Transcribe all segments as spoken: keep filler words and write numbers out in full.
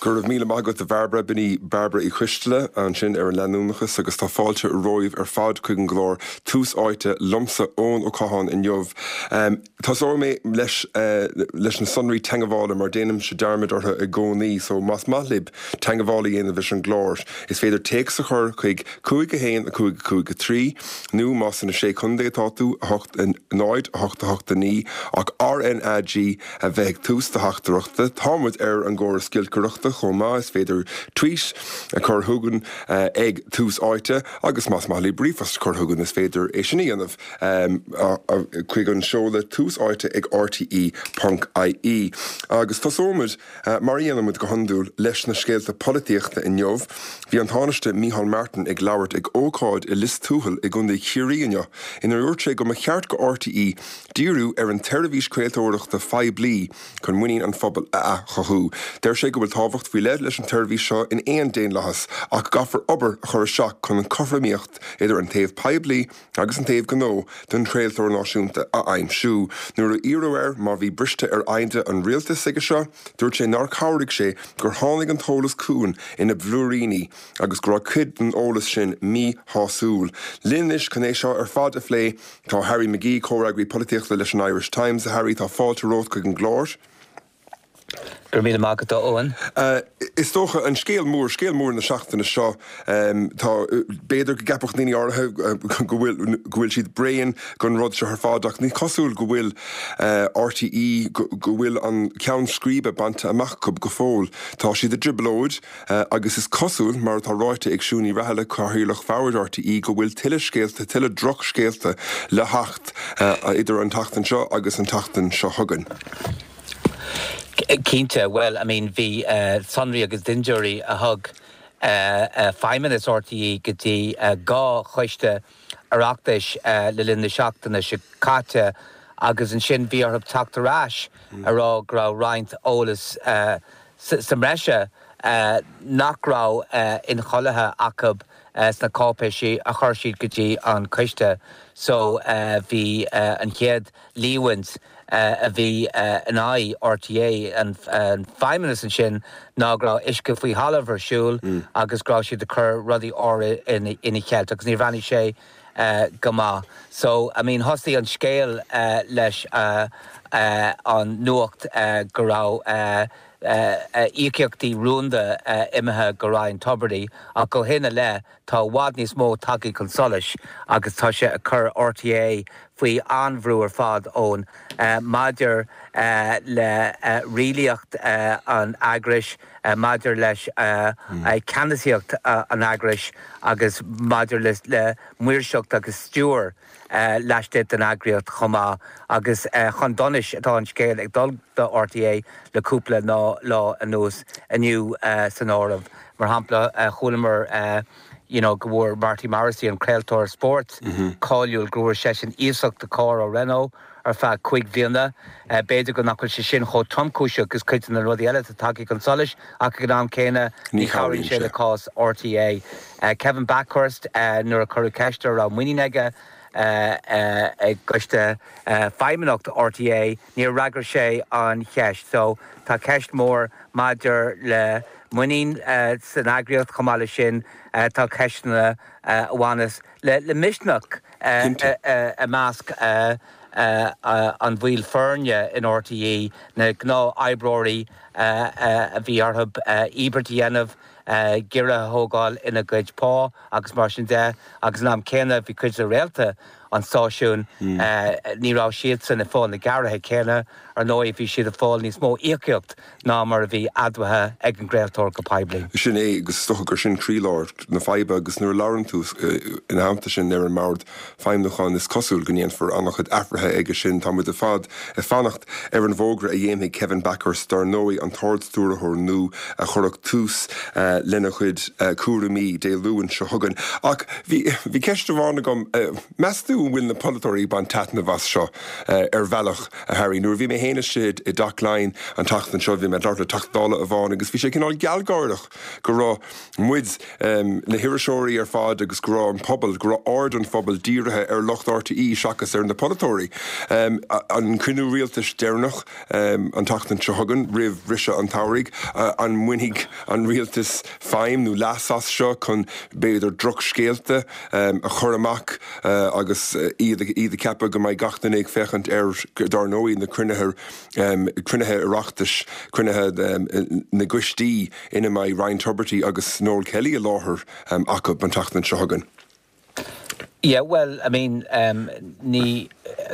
Go raibh míle maith agat, a Bhairbre. B'in í Bairbre Uí Choisteala ansin ar an leanúnachas, agus tá fáilte romhaibh ar fad chuig an gclár Tús Áite liomsa, Eoin Ó Catháin, inniu. Um, Tosóidh mé leis uh, leis na sonraí teagmhála, mar déanaimse dearmad orthu i gcónaí, so más maith libh teagmháil a dhéanamh leis an gclár, is féidir téacs a chur chuig cúig a haon a cúig cúig a trí, nó más sna sé chontae atá tú, a hocht náid a hocht a hocht a naoi, ach R N A G a bheith ag tús do theachtaireachta. Táimid ar an gcóras giolcaireachta chomh maith, is féidir tweet a chur chugainn uh, ag Tús Áite, agus más maith libh ríomhphost a chur chugainn, is féidir é sin a dhéanamh um, chuig an seoladh tús áite ag R T E ponc I E. Agus tosóimid uh, mar a dhéanaimid go hiondúil leis na scéalta polaitíochta inniu. Bhí an Tánaiste Micheál Martin ag labhairt ag ócáid i Lios Tuathail i gContae Chiarraí inniu, inar dúirt sé go mba cheart do R T E díriú ar an tseirbhís craoltóireachta phoiblí chun muinín an phobail a athchothú. Deir sé go bhfuil tábhacht faoi leith leis an tseirbhís seo in aon daonlathas, ach caithfear obair a chur isteach chun an chothromaíocht idir an taobh poiblí agus an taobh gnó don chraoltóir náisiúnta a aimsiú. Nuair a iarradh air má bhí briste ar agenda an rialtais aige seo, dúirt sé nár chabhraigh sé gur tháinig an t-eolas chugainn ina bhlúiríní agus go raibh cuid den eolas sin míshásúil. Linn anois chun é seo ar fad a phlé tá Harry McGee, comhfhreagraí polaitíochta leis an Irish Times. Harry, tá fáilte romhat chuig an gclár. Gur mí maith go óin. Uh, is dócha an scéal mór scéal mór na seachtaine seo, um, tá b'fhéidir go gceapfadh daoine áirithe go bhfuil siad bréan den rud seo ar fad, ach ní cosúil go bhfuil uh, R T E go bhfuil an ceann scríbe bainte amach go go fóill. Tá siad i dtrioblóid uh, agus is cosúil, mar atá ráite ag Siún Ní Raghallaigh, cathaoirleach bhord R T E, go bhfuil tuilleadh scéalta, tuilleadh drochscéalta le theacht uh, idir an tseachtain seo agus an tseachtain seo chugainn. Cinnte, well, I mean, bhí uh, sonraí agus dintiúirí a thug uh, uh, feidhmeannas R T E go dtí uh, dhá choiste Oireachtais uh, le linn na seachtaine seo caite, agus ansin bhí orthu teacht ar ais mm. a rá go raibh roinnt eolas uh, sa mbreise uh, nach raibh uh, incháilithe acu uh, sna cáipéisí a chuir siad go dtí an coiste. So uh, bhí uh, an chéad líomhain uh, a bhí uh, in aghaidh R T É an, an feidhmeannas ansin ná go raibh uisce faoi thalamh ar siúl mm. agus go raibh siad ag cur rudaí ina ina cheilt agus ní bhreathnaigh sé uh, go maith. So, I mean, thosaigh an scéal uh, leis uh, uh, an nuacht uh, go raibh uh, uh, uh, íocaíochtaí rúnda uh, imithe go Ryan Tubridy, ach ó shin i leith tá i bhfad níos mó tagtha chun solais agus tá sé ag cur R T É faoi an-bhrú ar fad ón uh, maidir uh, le uh, rialaíocht uh, an eagrais, uh, maidir leis uh, mm. uh, ceannasaíocht uh, an eagrais agus maidir le, le maoirseacht agus stiúir uh, laistigh den eagraíocht chomh maith, agus uh, chun donais atá an scéal ag dul do R T É le cúpla ná lá anuas, inniu uh, san áireamh. Mar shampla, uh, chualamar uh, you know, go bhfuair Marty Morrissey, an craoltóir spóirt mm -hmm. cáiliúil, go bhfuair seisean iasacht de charr ó Renault ar feadh cúig bliana. uh, B'fhéidir go nach bhfuil sé sin chomh tromchúiseach agus cuid na rudaí eile atá tagtha chun solais, ach ag an am céanna ní chabhraíonn sé le cás R T É. Uh, Kevin Bakhurst, uh, nuair a cuireadh ceist air raibh muinín aige uh, uh, ag coiste uh, feidhmeannacht R T É, níor fhreagair sé an cheist. So tá ceist mór maidir le muinín uh, san eagraíocht. Chomh maith leis sin uh, tá ceisteanna uh, a bhaineas le, le misneach uh, uh, uh, i measc uh, uh, uh, an bhaill foirne in R T É, na gnáthoibreoirí uh, uh, a bhí orthu uh, íobairt a dhéanamh, uh, giorra a thógáil ina gcuid pá agus mar sin de, agus an am céanna bhí cuid de réalta an stáisiún mm. uh, ní raibh siad san ag fáil na gearraithe céanna. Ar ndóigh, bhí siad ag fáil níos mó íocaíocht ná mar a bhí admhaithe ag an gcraoltóir go poiblí. Sin é, agus is dócha gur sin croílár na faidhbe, agus nuair a labhrann tú ina theannta sin ar an mbord feidhmiúcháin, is cosúil go ndéanfar an-chuid athruithe aige sin. Tá muid ar fad ag fanacht ar an bhfógra a dhéanfaidh Kevin Bakhurst, dar ndóigh, an tArd-Stiúrthóir nua a chuirfeadh tús uh, lena chuid uh, cúraimí Dé Luain seo chugainn. Ach bhí bhí ceist amháin agam, uh, meas tú go bhfuil na polaiteoirí ag baint taitneamh as seo ar bhealach, a Harry. Nuair a bhí mé féin istigh i dTeach Laighean an tseachtain seo, bhí mé ag labhairt le Teachta Dála amháin agus bhí sé cineál gealgháireach go raibh muid, na hiriseoirí ar fad agus go raibh an pobal, go raibh aird an phobail dírithe ar lucht RTÉ seachas ar na polaiteoirí. An cruinniú rialtais deireanach an tseachtain seo chugainn roimh bhriseadh an tsamhraidh, an mbainfidh an rialtas feidhm nó leas as seo chun b'fhéidir drochscéalta a chur amach agus iad iad ag ceapadh go mbeidh gach duine ag féachaint ar, dar ndóigh, na cruinnithe cruinnithe Oireachtais, cruinnithe na gcoistí ina mbeidh Ryan Tubridy agus Noel Kelly i láthair acu an tseachtain seo chugainn. Yeah, well, I mean, um, ní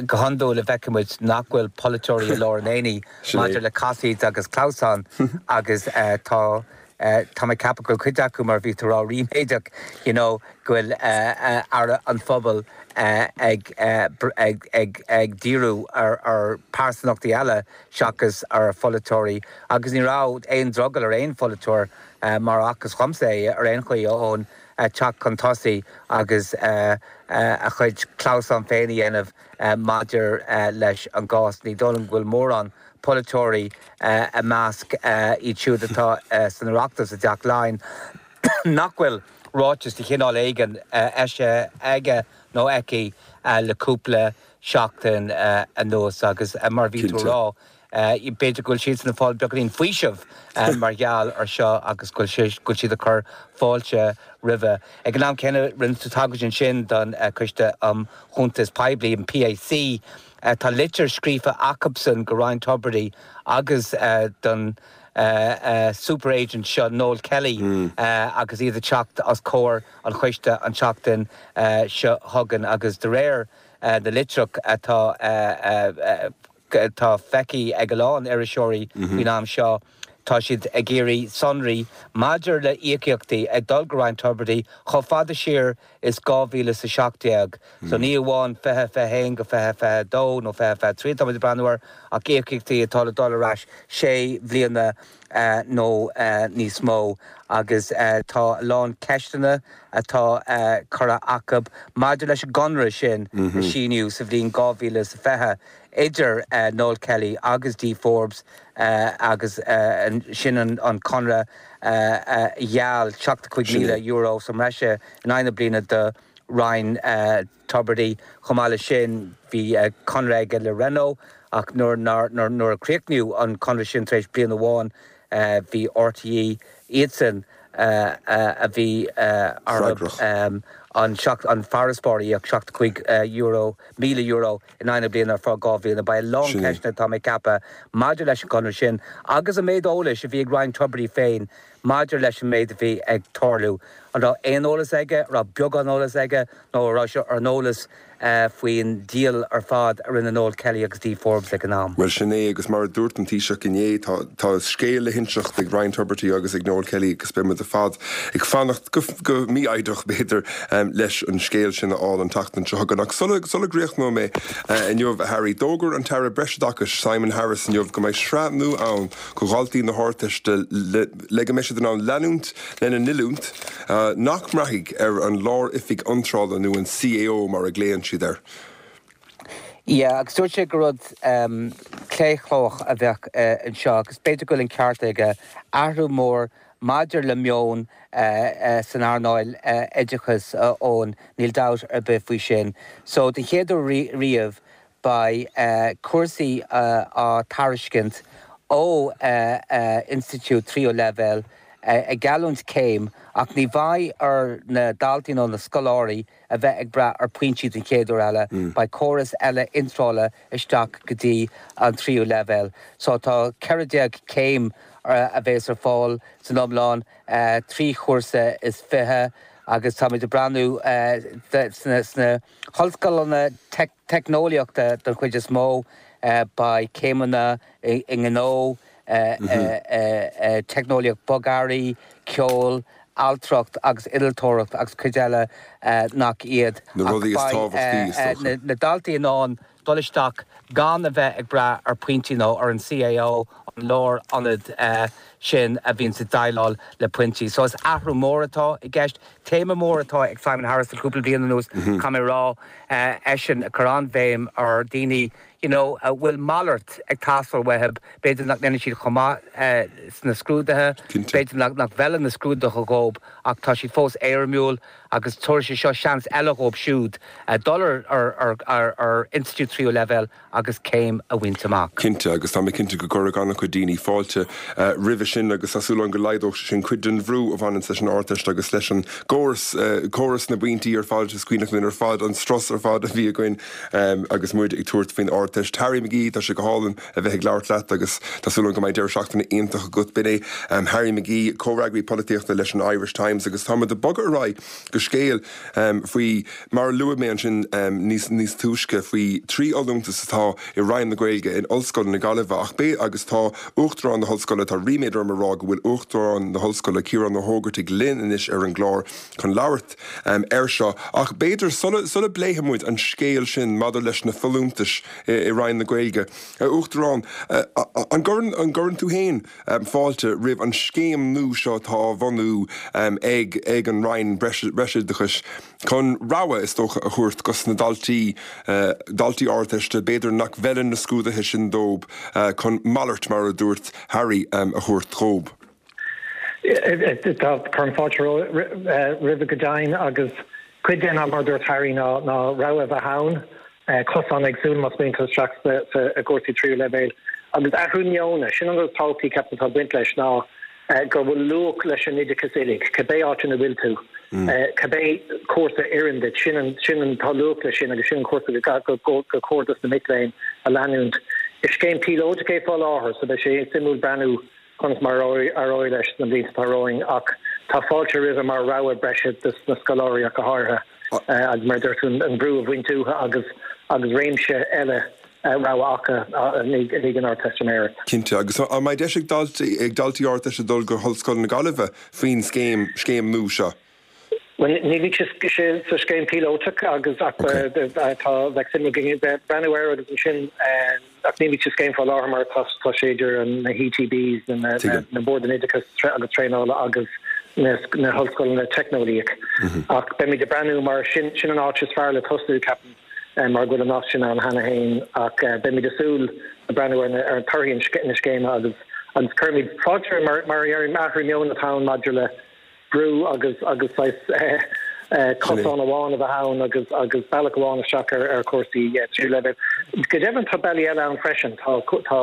go hiondúil a bhfeiceann muid nach bhfuil polaiteoirí i lár an aonaigh maidir le casaoid agus clamhsán agus uh, tá uh, tá mé ag ceapadh go bhfuil cuid acu mar bhí tú ag rá ríméadach you know, go bhfuil uh, uh, aire an phobail uh, ag, uh, ag, ag, ag díriú ar, ar pearsanachtaí eile seachas ar pholaiteoirí agus ní raibh aon drogall ar aon pholaiteoir uh, mar a chonacthas dhomsa ar aon chaoi ón uh, teacht chun tosaigh agus uh, uh, a chuid clamhsán féin a dhéanamh uh, maidir uh, leis an gcás ní dóigh liom go bhfuil mórán polaiteoirí uh, i measc uh, iad siúd atá uh, san Oireachtas i dTeach Laighean nach bhfuil ráiteas de chineál éigin uh, eisithe aige nó aici uh, le cúpla seachtain uh, anuas agus uh, mar bhí tú rá. Uh, b'fhéidir go bhfuil siad ag fáil beagáinín faoiseamh uh, mar gheall ar seo agus go bhfuil siad ag cur fáilte roimhe. Ag an am céanna rinne tú tagairt ansin don uh, Coiste um Chuntas Poiblí an PAC uh, tá litir scríofa acusan go Ryan Tubridy agus uh, don uh, uh, super agent seo Noel Kelly mm. uh, agus iad ag teacht os comhair an choiste an tseachtain uh, seo chugainn agus de réir uh, na litreach atá uh, uh, atá feicthe ag a lán iriseoirí mm -hmm. faoin am seo tá siad ag iarraidh sonraí maidir le íocaíochtaí ag dul go Ryan Tubridy chomh fada siar is dhá mhíle is a seacht déag. Mm. So ní amháin fiche fiche haon go fiche fiche dó nó fiche fiche trí tá ag breathnú air ach íocaíochtaí atá le dul ar ais sé bliana uh, nó uh, níos mó agus uh, tá lán ceisteanna atá uh, curtha acu maidir leis an gconradh sin mm -hmm. síniú sa bhliain dhá mhíle is fiche idir uh, Noel Kelly agus Dee Forbes uh, agus uh, sin an, an conradh uh, uh, gheall seachtó cúig míle euro sa mbreis in aghaidh na bliana do Ryan uh, Tubridy chomh maith leis sin bhí uh, conradh aige le Renault ach nuair nuair a críochnaíodh an conradh sin tar éis bliain amháin uh, bhí RTÉ iadsan uh, uh, a bhí uh, um, an seacht an farasbarr ach seachtó cúig uh, euro míle euro in aghaidh na bliana ar feadh dhá bhliain beidh a lán ceisteanna tá mé ag ceapadh maidir leis an gconradh sin agus an méid eolais a bhí ag Ryan Tubridy féin maidir leis an méid a bhí ag tarlú. An raibh aon eolas aige, raibh beagán eolas aige nó raibh sé ar an eolas uh, faoin díol ar fad a rinne Noel Kelly agus Dee Forbes ag an am. Well sin é agus mar a dúirt an Taoiseach inné tá tá scéal le hinseacht ag Ryan Tubridy agus ag Noel Kelly agus beimid ar fad ag fanacht go, go mífhoighdeach b'fhéidir um, leis an scéal sin a fháil an tseachtain seo chugainn ach sula sula gcríochnóidh mé uh, inniu Harry d'fhógair an tAire Breisoideachais Simon Harris inniu go mbeidh sraith nua ann do dhaltaí na hArdteiste le, le go mbeidh siad in ann leanúint lena n-oiliúint uh, nach mbraithfidh ar an Lár-Oifig Iontrála nó an CAO mar a ghlaonn siad air. Yeah, agus dúirt sé go rud um, claochlóch a bheadh uh, anseo, agus b'fhéidir go bhfuil an ceart aige athrú mór maidir le meon uh, uh, san earnáil uh, oideachais uh, ón níl dabht ar bith faoi sin. So den chéad uair riamh beidh uh, cúrsaí uh, á dtairiscint ó uh, uh, institiúid tríú leibhéal uh, ag geallúint céim ach ní bheidh ar na daltaí nó na scoláirí a bheith ag brath ar pointí den chéad uair eile mm. beidh córas eile iontrála isteach go dtí an tríú leibhéal. So tá ceithre déag céim uh, a bheas ar fáil san iomlán uh, trí chúrsa is fiche agus táimid ag breathnú uh, sna, sna hollscoileanna te teicneolaíochta den chuid is mó uh, beidh céimeanna i, i ngnó, uh, mm -hmm. uh, uh, teicneolaíocht bogearraí, ceol, ailtireacht agus innealtóireacht agus cuid eile uh, nach iad. Na rudaí is tábhachtaí is uh, na, na daltaí in ann dul isteach gan a bheith ag brath ar pointí nó ar an CAO an lárionad sin a bhíonn ag déileáil le pointí. So is athrú mór atá i gceist téama mór atá ag Simon Harris le cúpla bliain anuas mm -hmm. rá eisean ag cur an-bhéim ar daoine you know, a bhfuil malairt ag teastáil uathu b'fhéidir nach ndéanann siad chomh maith sna scrúduithe, b'fhéidir nach nach bhfeileann na scrúduithe dóibh ach tá siad fós éirimiúil agus tabharfaidh sé seo seans eile dóibh siúd dul ar ar ar ar institiúid tríú leibhéal agus céim a bhaint amach. Cinnte agus tá mé cinnte go gcuirfidh an-chuid daoine fáilte uh, roimhe sin agus tá súil agam go laghdódh sin cuid den bhrú a bhaineann leis an Ardteist agus leis an gcóras uh, córas na bpointí ar fad is cuimhin linn ar fad an strus ar fad a bhí againn um, agus muid ag tabhairt faoin Ardteist. Harry McGee tá sé go hálainn a bheith ag labhairt leat agus tá súil agam go mbeidh deireadh seachtaine iontach agat b'in é um, Harry McGee comhfhreagraí polaitíochta leis an Irish Times agus tá ag bogadh ar aghaidh go scéal um, faoi mar luaigh mé ansin um, níos níos túisce faoi trí fholúntas atá i Roinn na Gaeilge in Ollscoil na Gaillimhe ach bé agus tá Uachtarán na hOllscoile tá ríméad orm a rá go bhfuil Uachtarán na hOllscoile Ciarán Ó hÓgartaigh linn anois ar an gclár chun labhairt um, air seo ach b'fhéidir sula sula bpléifidh muid an scéal sin maidir leis na folúntais i, i Roinn na Gaeilge. Uh, Uachtarán uh, an gcuireann an gcuireann tú féin um, fáilte roimh an scéim nua seo atá á bhunú um, ag ag an Roinn Breisoideachais chun rogha is dócha a thabhairt dos na daltaí uh, daltaí Ardteiste b'fhéidir nach bhfeileann na scrúduithe sin dóibh uh, chun malairt mar a dúirt Harry um, a thabhairt dóibh. Tá cuirim fáilte roimhe go deimhin agus cuid den mar dúirt Harry ná ná rogha bheith ann cosán éagsúil más mian isteach i gcúrsaí tríú leibhéal. Agus athrú meoin sin an tábhacht ceapaim atá baint leis ná go bhfuil luach leis an oideachas uilig, cibé áit ina bhfuil tú. Cibé cúrsa a oireann duit sin sin an tá luach leis sin agus sin cúrsa go go cóir dos na mic léinn a leanúint. Is scéim píolótach é faoi láthair, so beidh sé suimiúil breathnú conas mar éireoidh leis na blianta atá romhainn ach tá fáilte roimhe mar rogha breise dos na scoláirí ach go háirithe agus mar dúirt an brú a bhaint uathu agus agus réimse eile rogha acu ag an Ardteistiméireacht. Cinnte agus an mbeidh deis ag daltaí ag daltaí Ardteiste dul go hOllscoil na Gaillimhe faoin scéim scéim nua seo. Well ní bhí sé sa scéim píolótach agus tá bheadh suim breathnú air agus sin ach ní bhí sa scéim faoi láthair mar tá sé idir na HEBs na na Bord Oideachais agus Traenála agus na hollscoileanna teicneolaíoch. Ach beimid ag breathnú mar sin sin an áit is fearr le tosú ceapaim mar go bhfuil an sin ann cheana féin ach beimid ag súil le breathnú ar ar an torthaí na scéime agus agus cuirimid fáilte mar mar ar athrú meoin atá maidir le brú agus agus cosán amháin a bheith ann agus agus bealach amháin isteach ar ar cúrsaí tríú leibhéal. Go deimhin tá bealaí eile ann freisin tá tá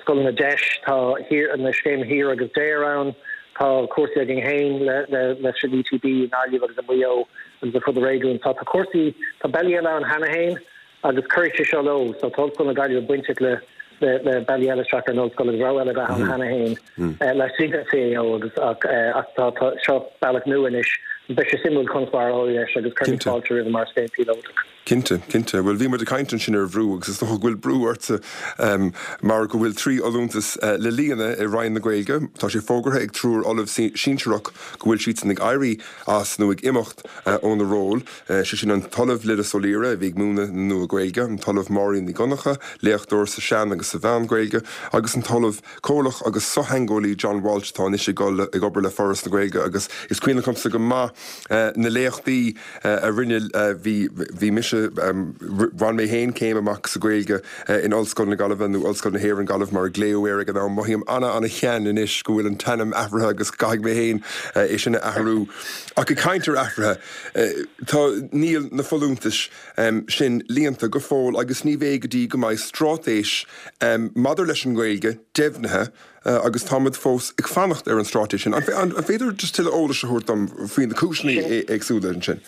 scoileanna DEIS tá thiar na scéim HEAR agus DARE ann tá cúrsaí againn féin le le leis an ETB i nGaillimh agus i Maigh Eo agus ar fud an réigiúin tá tá cúrsaí tá bealaí eile ann cheana féin agus cuirfidh sé seo leo so tá Ollscoil na Gaillimhe bainteach le le le bealaí eile isteach ar an ollscoil agus rogha eile bheith ann cheana féin laistigh den CAO agus ach ach tá tá seo bealach nua anois beidh sé suimiúil conas mar a éireoidh leis agus cuirimid fáilte roimhe mar scéim píolótach. Cinnte, cinnte, Well bhí muid ag caint ansin ar bhrú agus is dócha go bhfuil brú ortsa um, mar go bhfuil trí fholúntas uh, le líonadh i Roinn na Gaeilge, Tá sé fógartha ag triúr ollamh sinsearach go bhfuil siad ag éirí as nó ag imeacht uh, óna ról, uh, sé sin an tOllamh Lillis Ó Laoire a bhí ag múineadh na Nua-Ghaeilge, an tOllamh Máirín Ní Dhonncha, léachtóir sa Sean agus sa Mheán-Ghaeilge, agus an tOllamh Comhlach agus sochtheangeolaí John Walsh atá anois ag ag obair le Foras na Gaeilge agus is cuimhin liomsa go maith uh, na léachtaí uh, a rinne uh, bhí bhí mise um, bhain mé féin céim amach sa Ghaeilge uh, in Ollscoil na Gaillimhe nó Ollscoil na hÉireann Gaillimh mar a glaodh air ag an am mothaím ana ana-shean anois go bhfuil an t-ainm athraithe agus caithfidh mé féin uh, é sin a athrú. Ach ag caint ar athruithe uh, tá níl na folúntais um, sin líonta go fóill agus ní bheidh go dtí go mbeidh straitéis um, maidir leis an Ghaeilge deimhnithe uh, agus táimid fós ag fanacht ar an straitéis sin. An féidir just tuilleadh eolais a thabhairt dom faoi na cúiseanna éagsúla sin.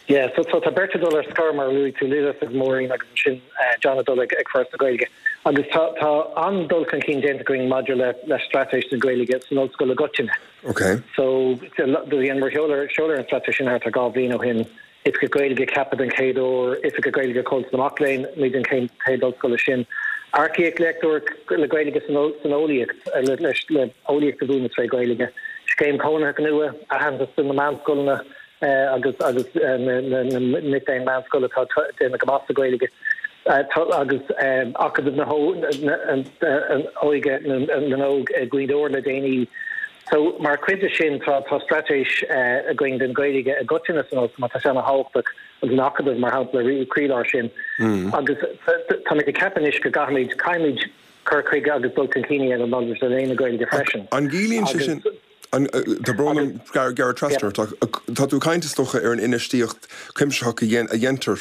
Yeah, so so tá beirt ag dul ar scor mar luaigh tú Lillis agus Máirín agus sin uh, John dul ag ag Foras na Gaeilge. Agus tá tá an-dul chun cinn déanta againn maidir le le straitéis na Gaeilge san ollscoil i gcoitinne. Okay. So do mar sheoladh sheoladh an straitéis sin thart ar dhá bhliain ó shin Oifigeach Gaeilge ceaptha den chéad uair Oifigeach Gaeilge Chultúr na Mac Léinn muid an chéad ollscoil sin. Earcaíodh léachtóir le Gaeilge san eolaíocht le le eolaíocht a mhúineadh trí Ghaeilge. Scéim cónaithe nua aitheantas na meánscoileanna agus agus na mic léinn meánscoile atá déanamh go maith sa Ghaeilge. Agus Acadamh na hÓige na nÓg i Gaoth Dobhair le déanaí. So mar chuid de sin tá tá straitéis againn don Ghaeilge i gcoitinne san ollscoil mar tá sé an-thábhachtach agus an Acadamh mar shampla ag croílár sin. Agus táimid ag ceapadh anois go gcaithfimid caithfimid cur chuige agus dul chun cinn a dhéanamh maidir le léann na Gaeilge freisin. An gciallaíonn sé sin Tá brón orm gearradh trasna ort ach tá tú ag caint is dócha ar an infheistíocht cuimsitheach a dhéantar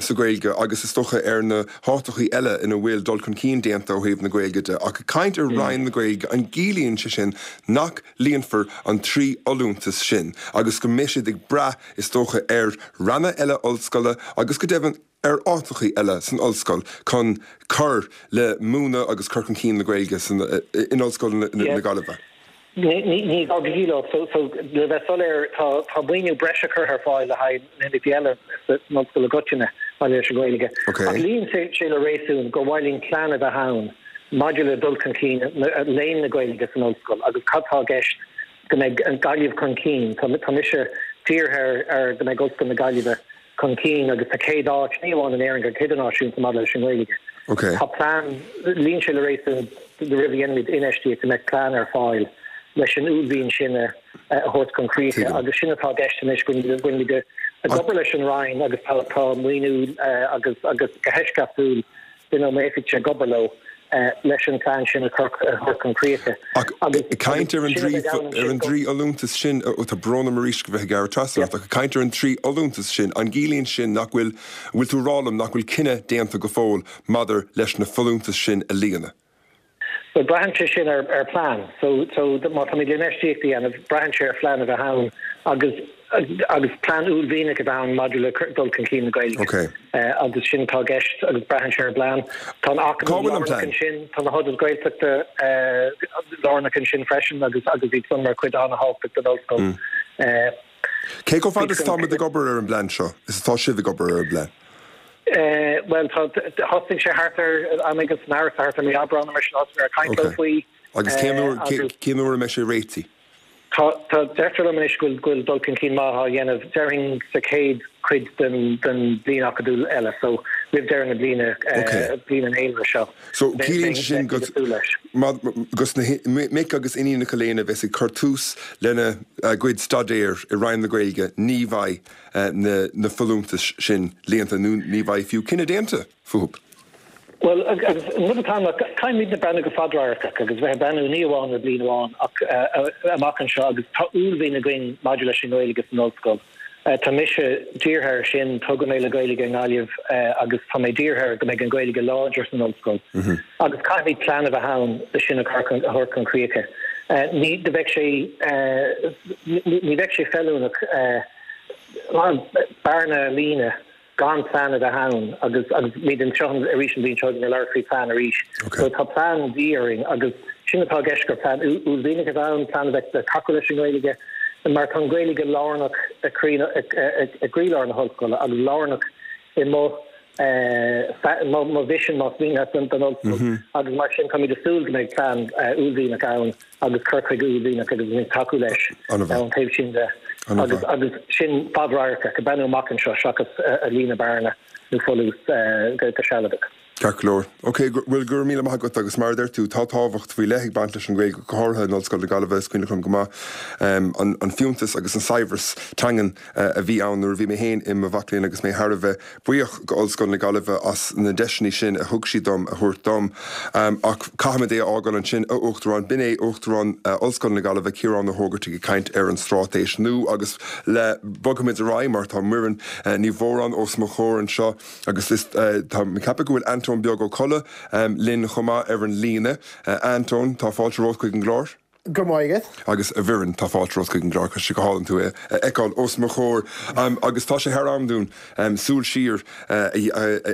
sa Ghaeilge agus is dócha ar na háiteachaí eile ina bhfuil dul chun cinn déanta ó thaobh na Gaeilge de. Ach ag caint ar Roinn na Gaeilge, an gciallaíonn sé sin nach líonfar an trí fholúntas sin agus go mbeidh siad ag brath is dócha ar ranna eile ollscoile agus go deimhin ar áiteachaí eile san ollscoil chun cur le múineadh agus cur chun cinn na Gaeilge in Ollscoil na Gaillimhe? Ní gá go gciallódh. So, so le bheith soiléir, tá, tá maoiniú breise curtha ar fáil le haghaidh na himeachtaí eile san ollscoil i gcoitinne maidir leis an Ghaeilge. Ach luíonn sé, sé le réasún gur mhaith linn plean a bheith ann maidir le dul chun cinn léann na Gaeilge san ollscoil agus cad tá i gceist go mbeidh an Ghaillimh chun cinn. Tá, tá mise dírithe ar, ar go mbeidh Ollscoil na Gaillimhe chun cinn agus sa chéad áit, ní amháin in Éirinn, go hidirnáisiúnta maidir leis an nGaeilge. Tá plean, luíonn sé le réasún roimh a dhéanaimid infheistíocht go mbeadh plean ar fáil leis an uaillmhian sin a thabhairt chun críche agus sin atá i gceist anois go bhfuilimid ag obair leis an Roinn agus tá maoiniú agus agus go heisceachtúil duine ó m'oifigse ag obair leo leis an plean sin a thabhairt chun críche. Ach ag caint ar an ar an dtrí fholúntas sin, ó tá brón orm arís go bheith ag gearradh trasna ort, ach ag caint ar an trí fholúntas sin, an gciallaíonn sin nach bhfuil, bhfuil tú ag rá liom nach bhfuil cinneadh déanta go fóill maidir leis na folúntais sin a líonadh? Bhuel, braitheann sé sin ar ar plean. So, so má táimid le infheistíocht a dhéanamh, braitheann sé ar phlean a bheith ann agus agus plean uaillmhianach a bheith ann maidir le dul chun cinn na Gaeilge. Okay. Agus sin atá i gceist agus braitheann sé ar bplean. Tá an Acadamh lárnach ansin, tá na hionaid Ghaeltachta lárnach ansin freisin agus agus iad san mar chuid an-thábhachtach den ollscoil. Cé chomh fada is atáimid ag obair ar an bplean seo, is atá sibh ag obair ar an bplean? Bhuel, tá, thosaigh sé thart ar am éigin san earrach, thart ar mí Aibreán nó mar sin, thosaigh mé ag caint leo faoi. Agus cén uair, cén uair a mbeidh sé réitithe? Tá, tá, deirtear liom anois go bhfuil, go bhfuil dul chun cinn maith á dhéanamh, déarfainn sa chéad chuid den, den bhliain acadúil eile, so roimh deireadh na bliana, bliain an fhéilire seo. So ciallaíonn sé sin go, go na mic agus iníonacha léinn a bheas ag cur tús lena gcuid staidéir i Roinn na Gaeilge, ní bheidh na folúntais sin líonta nó ní bheidh fiú cinneadh déanta fúthu. Bhuel, agus an rud atá ann ná caithfimidne breathnú go fadradharcach agus bheith ag breathnú ní amháin ar bhliain amháin ach amach anseo agus tá uaillmhian againn maidir leis an nGaeilge san ollscoil. Tá mise dírithe air sin, toghadh mé le Gaeilge i nGaillimh agus tá mé dírithe ar go mbeidh an Ghaeilge láidir san ollscoil agus caithfimid plean a bheith ann le sin a thabhairt chun críche. Ní bheadh sé ní bheadh sé feiliúnach bearna a líonadh gan plean a bheith ann agus agus muid anseo arís an bhliain seo chugainn ag labhairt faoi plean arís. So tá plean de dhíth orainn agus sin atá i gceist gur plean uaillmhianach a bheith ann, plean a bheith le tacú leis an nGaeilge mar tá an Ghaeilge lárnach i gcroílár na hollscoile agus lárnach i mo mo mhisean más mian leat don ollscoil agus mar sin táimid ag súil go mbeidh plean uaillmhianach ann agus cur chuige uaillmhianach agus muid ag tacú leis ón taobh sin de agus agus sin fadradharcach, ag breathnú amach anseo seachas ag líonadh bearna nó folús go sealadach. Ceart go leor. Ok, bhuel, go raibh míle maith agat agus mar a deir tú, tá tábhacht faoi leith ag baint leis an Ghaeilge, go háirithe in Ollscoil na Gaillimhe, is cuimhin liom go maith an fiúntas agus an saibhreas teangan a bhí ann nuair a bhí mé féin i mo mhac léinn agus mé thar a bheith buíoch go Ollscoil na Gaillimhe as na deiseanna sin a thug siad dom a thabhairt dom. Ach caithfimid é a fhágáil ansin, a Uachtaráin. B'in é Uachtarán Ollscoil na Gaillimhe, Ciarán Ó hÓgartaigh ag caint ar an straitéis nua agus le bogfaimid ar aghaidh mar tá Muireann Ní Mhóráin os mo chomhair anseo agus is tá mé ag ceapadh go bhfuil Antóin Beag Ó Colla linn chomh maith ar an líne. A Antóin, tá fáilte romhat chuig an gclár. Go raibh maith agat. Agus a Mhuireann, tá fáilte romhat chuig an gclár. Tá sé go hálainn tú a fheiceáil os mo chomhair. Agus tá sé thar am dúinn súil siar a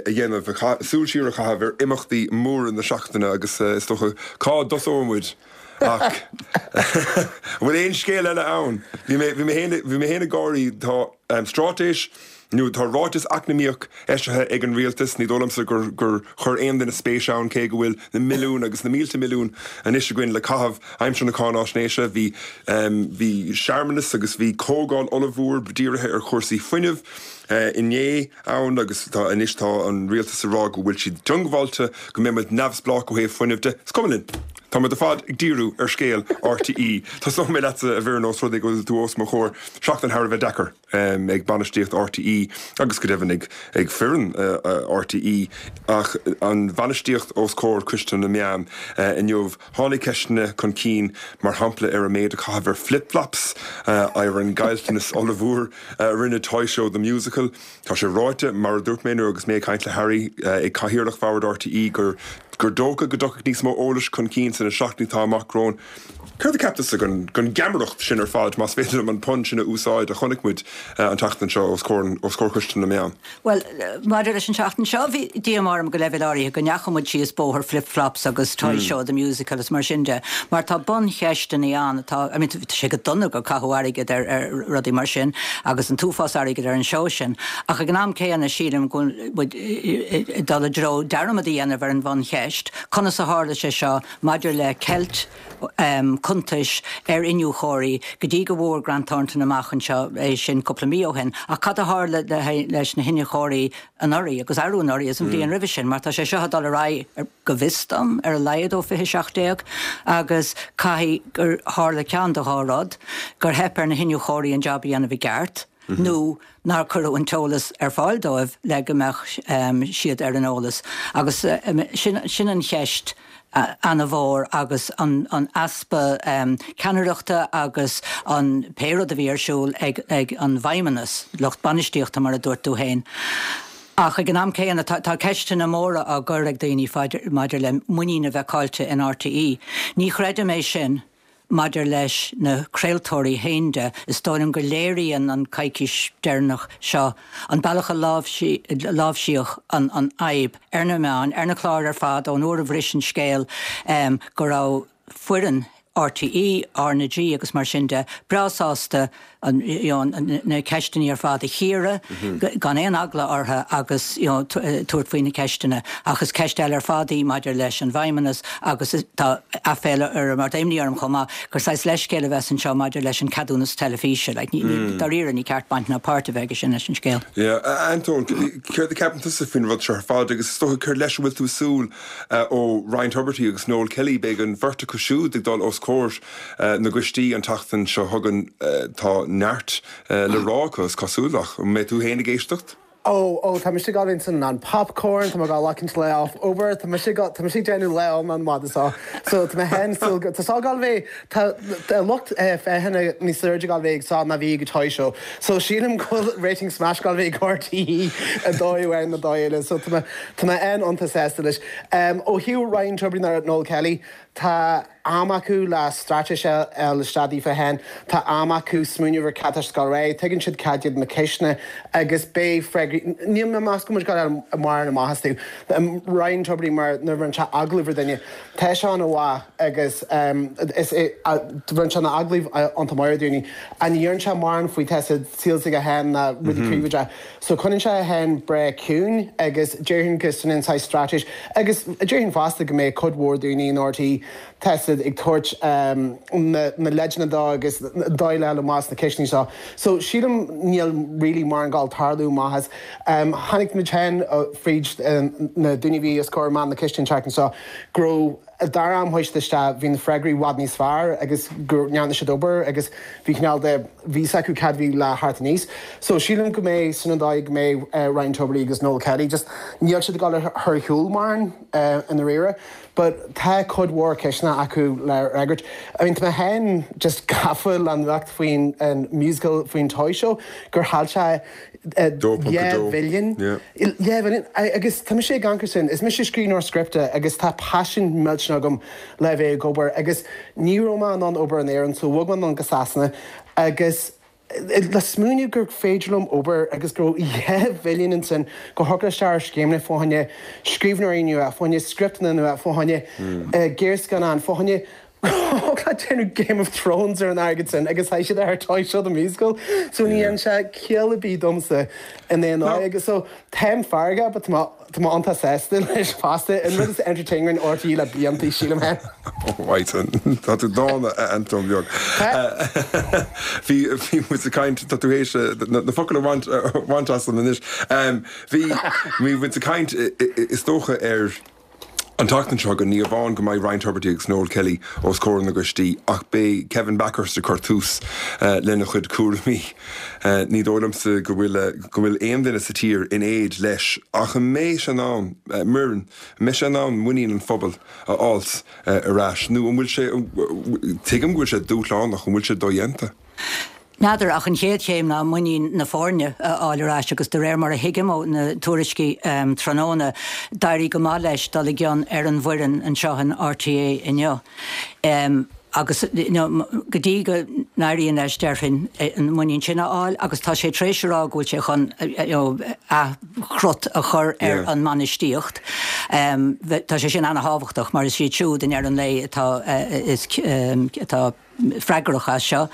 dhéanamh, súil siar a chaitheamh ar imeachtaí móra na seachtaine agus is dócha cá dtosóidh muid? Ach an bhfuil aon scéal eile ann? Bhí mé, bhí mé féin, bhí mé féin ag gáirí, tá straitéis, Nó tá ráiteas eacnamaíoch eisithe ag an rialtas, ní dóigh liomsa gur gur chuir aon duine spéis ann cé go bhfuil na milliúin agus na mílte milliún anois againn le caitheamh aimsir na cáináisnéise. Bhí bhí searmanas agus bhí comhdháil ollmhór dírithe ar chúrsaí fuinnimh inné ann agus tá anois tá an rialtas ag rá go bhfuil siad diongbháilte go mbeidh muid neamhspleách ó thaobh fuinnimh de. Is cuma linn. Tá muid ar fad ag díriú ar scéal RTÉ. Tosóidh mé leatsa a Mhuireann ós rud é go bhfuil tú os mo chomhair. Seachtain thar a bheith deacair ag bainistíocht RTÉ agus go deimhin ag ag foireann RTÉ ach an bhainistíocht os comhair Coiste na Meán inniu. Tháinig ceisteanna chun cinn mar shampla ar an méid a caitheadh ar flip flops, ar an gcaillteanas ollmhór a rinne Toy Show the Musical. Tá sé ráite mar a dúirt mé nuair agus mé ag caint le Harry ag cathaoirleach bhord RTÉ gur gur dócha go dtiocfaidh níos mó eolais chun cinn sna seachtainí atá amach romhainn. Céard a cheap tusa den den gheamaireacht sin ar fad más féidir liom an pun sin a úsáid a chonaic muid an tseachtain seo os comhair os comhair Choiste na Meán? Well, maidir leis an seachtain seo bhí díomá orm go leibhéal áirithe go ndeachaigh muid síos bóthar flip-flops agus Toy Show the Musical is mar sin de, mar tá buncheisteanna ann atá I mean, tá sé go dona gur caitheadh airgead ar, ar rudaí mar sin agus an t-uafás airgead ar an seó sin. Ach ag an am céanna sílim go bhfuil dul i dtreo dearmad a dhéanamh ar an bhuncheist, conas a tharla sé seo maidir le ceilt um, cuntais ar iniúchóirí go dtí go bhfuair Grant Thornton amach anseo é sin cúpla mí ó shin, ach cad a tharla leis na hiniúchóirí anuraidh agus arú anuraidh is an bhliain roimhe sin, mar tá sé seo ag dul ar aghaidh go bhfios dom ar a laghad ó fiche seacht déag agus caithfidh gur tharla ceann de dhá rud, gur theip ar na hiniúchóirí an job a dhéanamh i gceart, nó nár cuireadh an t-eolas ar fáil dóibh le go mbeadh um, siad ar an eolas. Agus um, sin, sin an cheist an-mhór agus an, an easpa um, ceannaireachta agus an pé rud a bhí ar siúl ag, ag an bhfeidhmeannas, lucht bainistíochta mar a dúirt tú féin. Ach ag an am céanna tá, tá ceisteanna móra á gcur ag daoine maidir le muinín a bheith caillte in RTÉ. Ní chreidim é sin maidir leis na craoltóirí féin de, is dóigh liom go léiríonn an coicís deireanach seo an bealach a láimhsíodh an, an fhadhb ar na meáin, ar na cláir ar fad ón uair a bhris an scéal um, go raibh foireann RTÉ, RnaG agus mar sin de breá sásta an, you know, na ceisteanna ar fad a chíoradh mm -hmm. gan aon eagla orthu agus you know, tabhairt faoi na ceisteanna ach is ceist eile ar fad í maidir leis an bhfeidhmeannas agus tá aiféala ar mar imní orm chomh maith gur saghas leithscéal a bheas anseo maidir leis an ceadúnas teilifíse like, ní, mm. dáiríre ní ceart baint ná páirt a bheith sin leis an scéal. Yeah, Anton, céard a cheapann tusa faoin rud seo ar fad agus is dócha cur leis bhfuil tú ag súil ó Ryan Tubridy agus Noel Kelly beidh an bheirt acu siúd ag dul os comhair na gcoistí an tseachtain seo chugainn tá neart le rá acu is cosúil ach an mbeidh tú féin ag éisteacht? Ó ó tá mise ag san an popcorn tá gá lecan le off over tá mise tá mise déanamh le an mad so so tá mé féin tá sá gal bheith tá lucht féachana níos airde ag bheith sa ná bhí go Toy Show so sílim go bhfuil rating smash gal bheith RTÉ a dóú ar na dóile so tá tá mé an- an-sásta leis. Ó thaobh Ryan Tubridy ná Noel Kelly tá am acu le straitéis le stadaí fe hen, Tá am acu smaoineamh ar cad atá ré, tuigeann siad cad iad na ceisteanna agus beidh freagraí Níl mé meas go mar na maithas tú. Ryan Tubridy mar nuair bhíonn sé agallamh ar duine. Tá sé an-mhaith agus bhíonn sé na agallaimh an-mhaith daoine. An dhéan sé mar faoi te sílsa go hen na rudaí príomhide. So coinníonn sé é breá ciúin agus déarfainn go sin an straitéis agus déarfainn fosta go mbeidh cuid mhór daoine in RTÉ tested ag tabhairt na na leideanna dó agus dóigh le más na ceisteanna seo. So sílim níl really mar an gáil tarlú maitheas. Um, Tháinig muid hen fríd na daoine bhí os comhair man na ceisteanna an tseachtain seo go raibh dar am thuiste bhí na freagraí i bhfad níos fearr agus gur ndearna siad obair agus bhí cineál de bhí acu cad bhí le thart níos. So sílim go mbeidh sin an dóigh go mbeidh uh, Ryan Tubridy agus Noel Kelly, just níl siad ag dul thar shiúl mar uh, in réire. But tá cuid mhór ceisteanna acu le fhreagairt. I mean, tá mé féin just gafa le nuacht faoin an musical faoin Toy Show gur chaill sé dhá bhilliún agus tá sé gan sin is mise scríbhneoir scripte agus tá paisean millteanach agam le bheith ag obair agus ní raibh mé in ann obair in Éirinn so bhog mé anonn go Sasana agus le smaoineamh gur féidir liom obair agus go dhá bhilliún ansin go thiocfadh isteach scéimeanna fá choinne scríbhneoirí nua fá choinne scripteanna nua fá choinne géarscannán fá choinne Thig leat déanamh Game of Thrones ar an airgead sin agus tá siad ar Toy Show the Musical, so ní dhéanann sé ciall ar bith domsa in aon áit agus so táim feargach but tá tá mé iontach sásta leis fosta an rud is entertaining R T E le blianta, sílim féin. Right, tá tú dána, a Antóin beag. Bhí bhí muid ag caint, tá tú théis na focail a bhaint bhaint asam anois. Bhí bhí muid ag caint is dócha ar an tseachtain seo go ní amháin go mbeidh Ryan Tubridy agus Noel Kelly os comhair na gcoistí ach beidh Kevin Bakhurst ag cur tús uh, lena chuid cúraimí. Uh, ní dóigh liomsa go bhfuil go bhfuil aon duine sa tír in éad leis ach an mbeidh sé in ann uh, Muireann mbeidh sé in ann muinín an phobail a fháil uh, ar ais nó an bhfuil sé tuigim go bhfuil sé dúshlánach, an bhfuil sé dodhéanta. N'fheadar, ach an chéad chéim ná muinín na foirne a fháil ar ais agus de réir mar a thuigim ó na tuairiscí um, tráthnóna d'éirigh go maith leis dul i gcion ar an bhfoireann anseo in R T É inniu. Um, agus you know, go dtí go n-éiríonn leis déarfainn an muinín sin a fháil, agus tá sé tar éis a rá go bhfuil sé chun you know, athchrot a chur ar yeah. an mbainistíocht. Um, tá sé sin an-thábhachtach mar is iad siúd in ar an lé atá uh, is um, atá freagrach as seo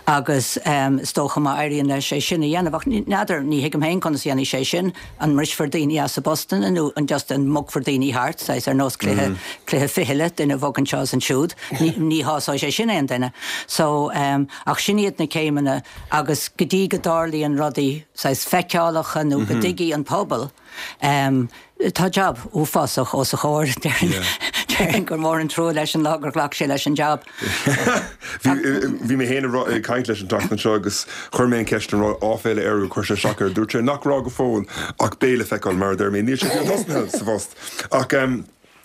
agus um, is dócha má éiríonn leis sé sin a dhéanamh. N'fheadar, ní thuigim féin conas dhéanfaidh sé sin, an mbrisfear daoine as a bpostanna nó an just an mbogfar daoine thart sais ar nós cluiche mm. cluiche fichille, duine bhogann seo ansiúd, ní, ní shásóidh sé sin aon duine. So um, ach sin iad na céimeanna agus go dtí go dtarlaíonn rudaí sais feiceálacha nó mm -hmm. go dtuigfidh an pobal. Um, tá job uafásach os a chomhair, déarfainn gur mór an trua leis an lá gur ghlac sé leis an job. Bhí mé féin ag caint leis an tseachtain seo agus chuir mé an ceist an raibh áiféala air gur chuir sé isteach air. Dúirt sé nach raibh go fóill ach beidh le feiceáil mar deir mé níl sé sa phost. Ach um,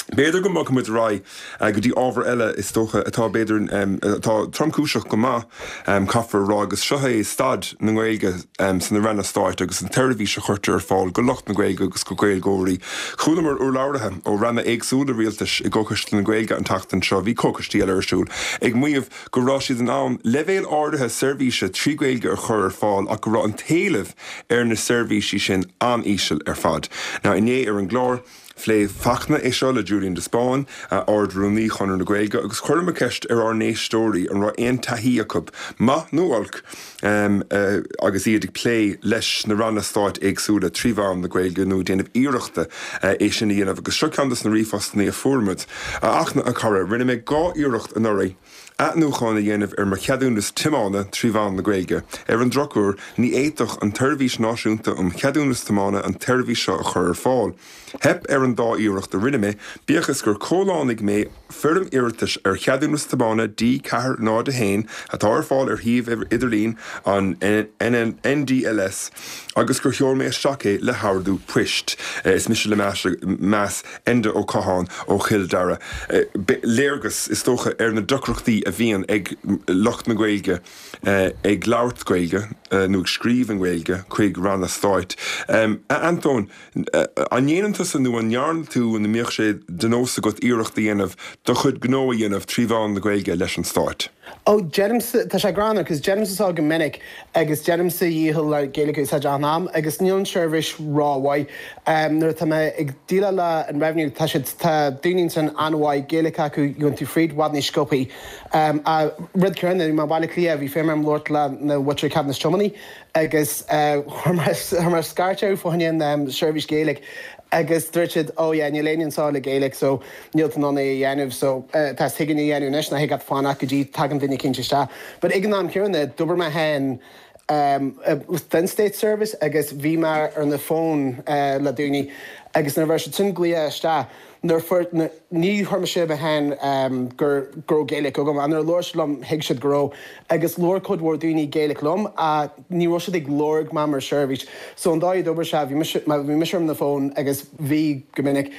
B'fhéidir go mbogfaidh muid ar aghaidh go dtí ábhar eile is dócha atá b'fhéidir atá tromchúiseach go maith, caithfear a rá, agus seo é staid na Gaeilge sna ranna stáit agus an tseirbhís a chuirtear ar fáil go lucht na Gaeilge agus go Gaeilgeoirí. Chualamar urlabhraithe ó ranna éagsúla rialtais i gCoiste na Gaeilge an tseachtain seo, bhí comhchoistí eile ar siúl, ag maíomh go raibh siad in ann leibhéal áirithe seirbhíse trí Ghaeilge a chur ar fáil ach go raibh an t-éileamh ar na seirbhísí sin an-íseal ar fad. Now inné ar an gclár, phléigh Fachtna é seo le Julian de Spáinn, Ard-Rúnaí Chonradh na Gaeilge, agus chuireamar ceist ar ár n-éisteoirí an raibh aon taithí acu, maith nó olc, um, uh, agus iad ag plé leis na ranna stáit éagsúla trí mheán na Gaeilge nó déanamh iarrachta uh, é sin a dhéanamh, agus seo ceann de na ríomhphostanna a fuair muid. A Fhachtna, a chara, rinne mé dhá iarracht anuraidh athnuachan a dhéanamh ar mo cheadúnas tiomána trí mheán na Gaeilge. Ar an drochuair, ní fhéadfadh an tSeirbhís Náisiúnta um Cheadúnas Tiomána an tseirbhís seo a chur ar fáil. Theip ar an dá iarracht a rinne mé, bíodh is gur chomhlánaigh mé foirm iarratais ar cheadúnas tiomána D ceathair náid a haon atá ar fáil ar shuíomh idirlín an N D L S agus gur sheol mé isteach é le hordú poist. Is mise le meas Enda Ó Catháin ó Chill Dara. Léargas is dócha ar na deacrachtaí a bhíonn ag lucht na Gaeilge ag labhairt Gaeilge nó ag scríobh an Ghaeilge chuig ranna stáit. Um, Antóin, an ndéanann tusa nó an ndearna tú an mbíodh sé de nós agat iarracht a dhéanamh do chuid gnó a dhéanamh trí mheán na Gaeilge leis an stát? Ó déanaimse, tá sé greannmhar, cos déanaimse seo go minic agus déanaimse dícheall le Gaeilge a úsáid an am agus níl an seirbhís rómhaith. Um, nuair atá mé ag déileáil le an Revenue, tá siad tá daoine san an-mhaith Gaeilge acu, gheobhann tú fríd i bhfad níos sciobtha. Um, a rud céanna ma Baile Cliath, bhí féim labhairt le na bhfuil ceadúnas tiomána agus chuir mé scairt fá choinne um, seirbhís Gaeilge agus dúirt siad, "Ó yeah, níl éinne anseo le Gaeilge, so níl tú in ann é a dhéanamh, so uh, tá thugann a dhéanamh anois ná thuig fanacht go dtí tagann duine eicínt isteach." But ag an am céanna d'oibir mé féin um, den State Service agus bhí mé ar na fón uh, le daoine agus nuair bhí siad sin glaoch isteach nuair fuair ní chuir sé féin um, gur go raibh Gaeilge agam an ar leir liom thuig siad go raibh agus labhair cuid mhór daoine Gaeilge liom a ní raibh siad ag lorg mé mar seirbhís. So an dá d'oibir sé bhí mise ar na fón agus bhí go minic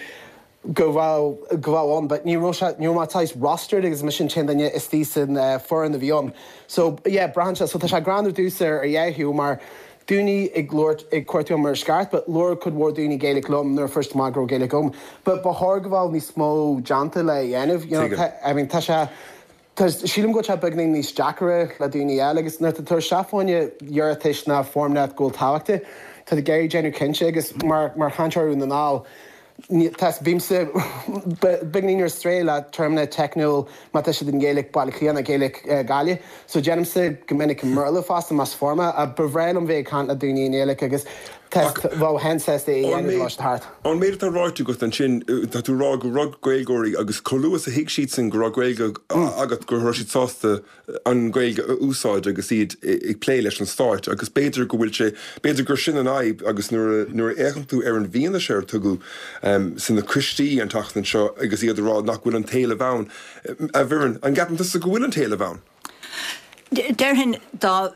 go bhfuil go bhfuil ann, but ní raibh sé ní raibh mé rostered agus mise an t-aon duine istigh san uh, foireann a bhí ann. So yeah, braitheann sé, so tá sé greannmhar dús ar ar dheathiú mar daoine ag labhairt ag cuartú mar scairt, but labhair cuid mhór daoine Gaeilge liom nuair first má go Gaeilge agam. But ba chóir go bhfuil níos mó déanta le dhéanamh, you know, I mean, tá sé sílim go sé beagáinín níos deacra le daoine eile agus nuair tá seafáine iarratais na foirmeanna go tábhachtach, tá de géir déanamh cinnte agus mar mar chainteoir na ná. Tá bímse beagáinín ar strae le téarmaí teicniúil má tá siad i nGaeilge Baile Átha Cliath nó Gaeilge Gaillimh, so déanaimse go minic i mBéarla fosta más forma a ba bhreá liom bheith ag caint le daoine i nGaeilge agus bheinn féin sásta é a dhéanamh lá thart. An méid atá ráite agat ansin tá tú rá go raibh Gaeilgeoirí agus chomh luath is a thuig siadsan go raibh Gaeilge agat go raibh siad sásta an Ghaeilge a úsáid agus iad ag plé leis an stáit agus b'fhéidir go bhfuil sé b'fhéidir gur sin an fhadhb agus nuair nuair a fhéachann tú ar an bhfianaise ar tugadh um, sna coistí an tseachtain seo agus iad rá nach bhfuil an t-éileamh ann. A Mhuireann an gceapann tusa go bhfuil an t-éileamh ann. Déarfainn dá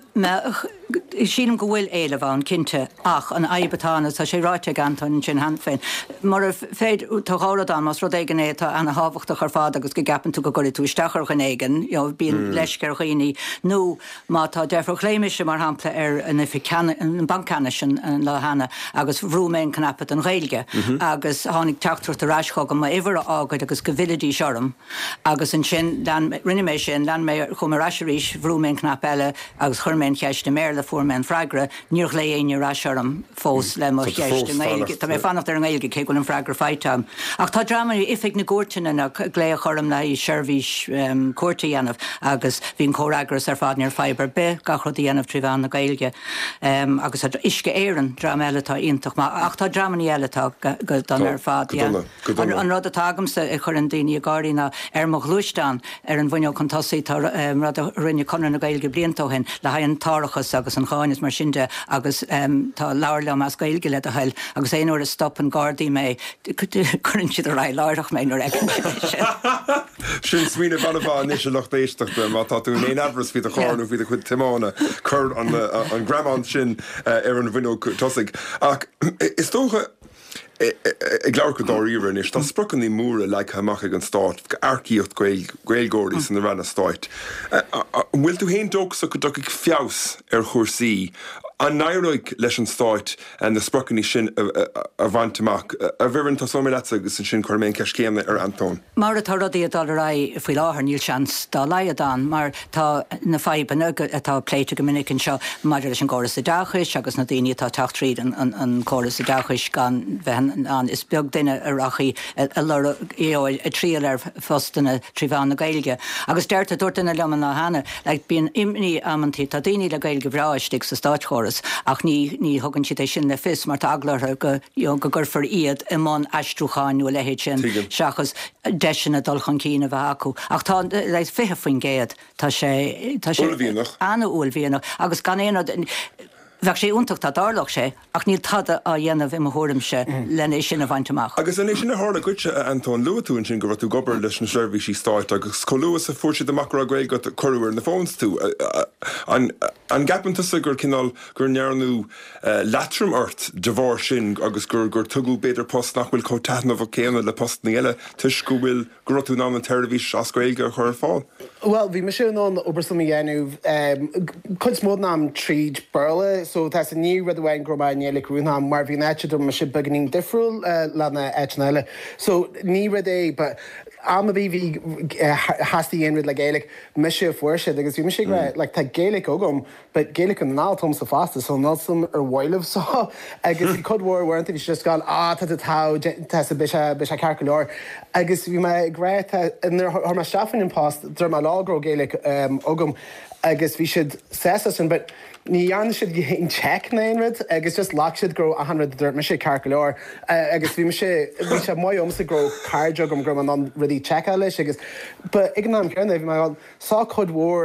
sílim go bhfuil éileamh ann cinnte ach an fhadhb atá ann tá sé ráite ag Antóin sin cheana féin. Mar féid tá dhá rud ann más rud éigin é atá an-thábhachtach ar fad agus go gceapann tú go gcuirfidh tú isteach ar dhuine éigin, bíonn leisce ar dhaoine nó má tá deifir ghlaoigh mise mar shampla ar an oifig an banc ceannais an lá cheana agus bhrúigh mé an cnaipe don Ghaeilge agus tháinig teachtaireacht ar ais chugam m'uimhir a fhágáil agus go bhfillfidís orm agus ansin rinne mé sin lean mé chum ar ais arís bhrúigh mé an cnaipe eile agus chuir mé an cheist i mBéarla fuair mé an freagra, níor ghlaoigh éinne ar ais orm fós le mo cheist i nGaeilge. Tá mé fanacht ar an nGaeilge cé go bhfuil an freagra faighte agam. Ach tá dreamanna oifig na gcúirteanna na glaoch orm le seirbhís um, cúirte a dhéanamh agus bhí an comhfhreagras ar fad níor fadhb ar bith gach rud a dhéanamh trí mheán na Gaeilge. Um, agus Uisce Éireann dream eile atá iontach ach tá dreamanna eile atá go dona ar fad. An, an rud atá agamsa a chuireann daoine ag gáirí ná ar mo ghluaisteán ar an bhfuinneog chun tosaigh tá um, rud a rinne Conradh na Gaeilge blianta ó shin le haghaidh an t-árachas agus an cháin is mar sin de agus um, tá labhair liom as Gaeilge le do thoil agus aon uair a stopann Gardaí mé cuireann siad ar aghaidh láithreach mé nuair a fheiceann siad Sin smaoineamh an-mhaith anois a lucht éisteachta má tá tú in aon amhras faoi do charr nó faoi do chuid tiomána cuir an, an greamán sin ar an bhfuinneog tosaigh. Ach is dócha ag labhairt go dáiríre anois tá spriocanna móra leagtha amach ag an stát earcaíocht Gaeilgeoirí sna ranna stáit. Bhfuil tú féin dóchasach go dtiocfaidh feabhas ar chúrsaí an n-éireoidh leis an stáit na spriocanna sin a bhaint amach. A Mhuireann tosóidh mé leatsa agus ansin cuirfidh mé an ceist céanna ar Antóin. Mar atá rudaí ag dul ar aghaidh faoi láthair níl seans dá laghad ann, mar tá na fadhbanna atá pléite go minic anseo maidir leis an gcóras oideachais agus na daoine atá teacht tríd an, an, an córas oideachais gan bheith an is beag duine a rachaidh a lorg a triail ar phostanna trí mheán na Gaeilge. Agus deirtear dúirt duine liom an lá cheana, like, bíonn imní amantaí tá daoine le Gaeilge bhreá istigh sa státchóras ach ní ní thugann siad é sin le fios mar tá eagla orthu go you know, go gcuirfear iad i mbun aistriúcháin nó a leithéid sin seachas deiseanna dul chun cinn a bheith acu. Ach tá like, fiche faoin gcéad tá sé tá sé an-uaillmhianach agus gan aon rud Bheadh sé iontach dá dtarlódh sé, ach níl tada á dhéanamh i mo thuairimse lena sin a bhaint amach. Agus an é sin a tharla duitse a Antóin luaigh tú ansin go raibh tú ag obair leis na seirbhísí stáit agus chomh luath is a fuair siad amach go raibh Gaeilge agat cuireadh ar na phones tú. An an gceapann tusa gur cineál gur ndearnadh leatrom ort de bharr sin agus gur gur tugadh b'fhéidir post nach bhfuil chomh taitneamhach céanna le postanna eile toisc go bhfuil go raibh tú in ann an tseirbhís as Gaeilge a chur ar fáil? Well, bhí mise in ann obair s'agam a dhéanamh cuid mó den am tríd Béarla, so tá sa ní rud amháin go raibh mé i nGaeilge rith an am mar bhí an áit a raibh mise beagáinín difriúil le na áiteanna eile. So ní rud é but am a bhí bhí theastaigh aon rud le Gaeilge mise a fuair siad agus bhí mise ag rá like tá Gaeilge agam but Gaeilge an ná agamsa fosta so níl a fhios agam ar mhaith libh so agus bhí cuid mhór uaireanta bhí siad just gone ah tá tá tá sa beidh sé beidh sé ceart go leor agus bhí mé ag rá tá nuair a chuir mé isteach faoin an post dúirt mé leo go raibh Gaeilge um, agam agus bhí siad sásta sin but ní dhearna siad aon check ná aon rud agus just ghlac siad go raibh achan rud a dúirt mise ceart go leor uh, agus bhí mise bhí sé maith agamsa go raibh cairde agam go raibh mé in ann rudaí checkáil leis agus but ag an am céanna bhí mé sá cuid mhór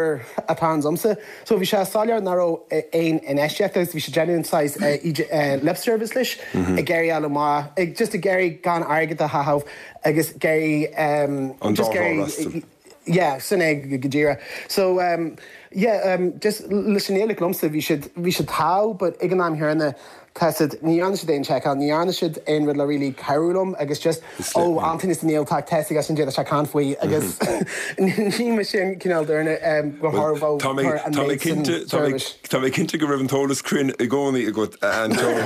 atá agamsa so bhí sé soiléir nach raibh aon infheistíocht agus bhí sé déanamh saghas uh, lip service leis ag iarraidh fháil amach ag just ag iarraidh gan airgead a chaitheamh agus iarraidh um, An just dá iarraidh yeah sin é go díreach so um, yeah um, just leis an Ghaeilge liomsa bhí siad bhí siad tá but ag an am céanna tá siad ní dhearna siad aon checkáil ní dhearna siad aon rud le really cabhrú liom agus just ó Antóin is níl tá test agus sin sé can faoi agus ní me sin cineál duine go tharbh Tá mé tá mé cinnte tá mé tá mé cinnte go raibh an t-eolas cruinn i gcónaí agat Antóin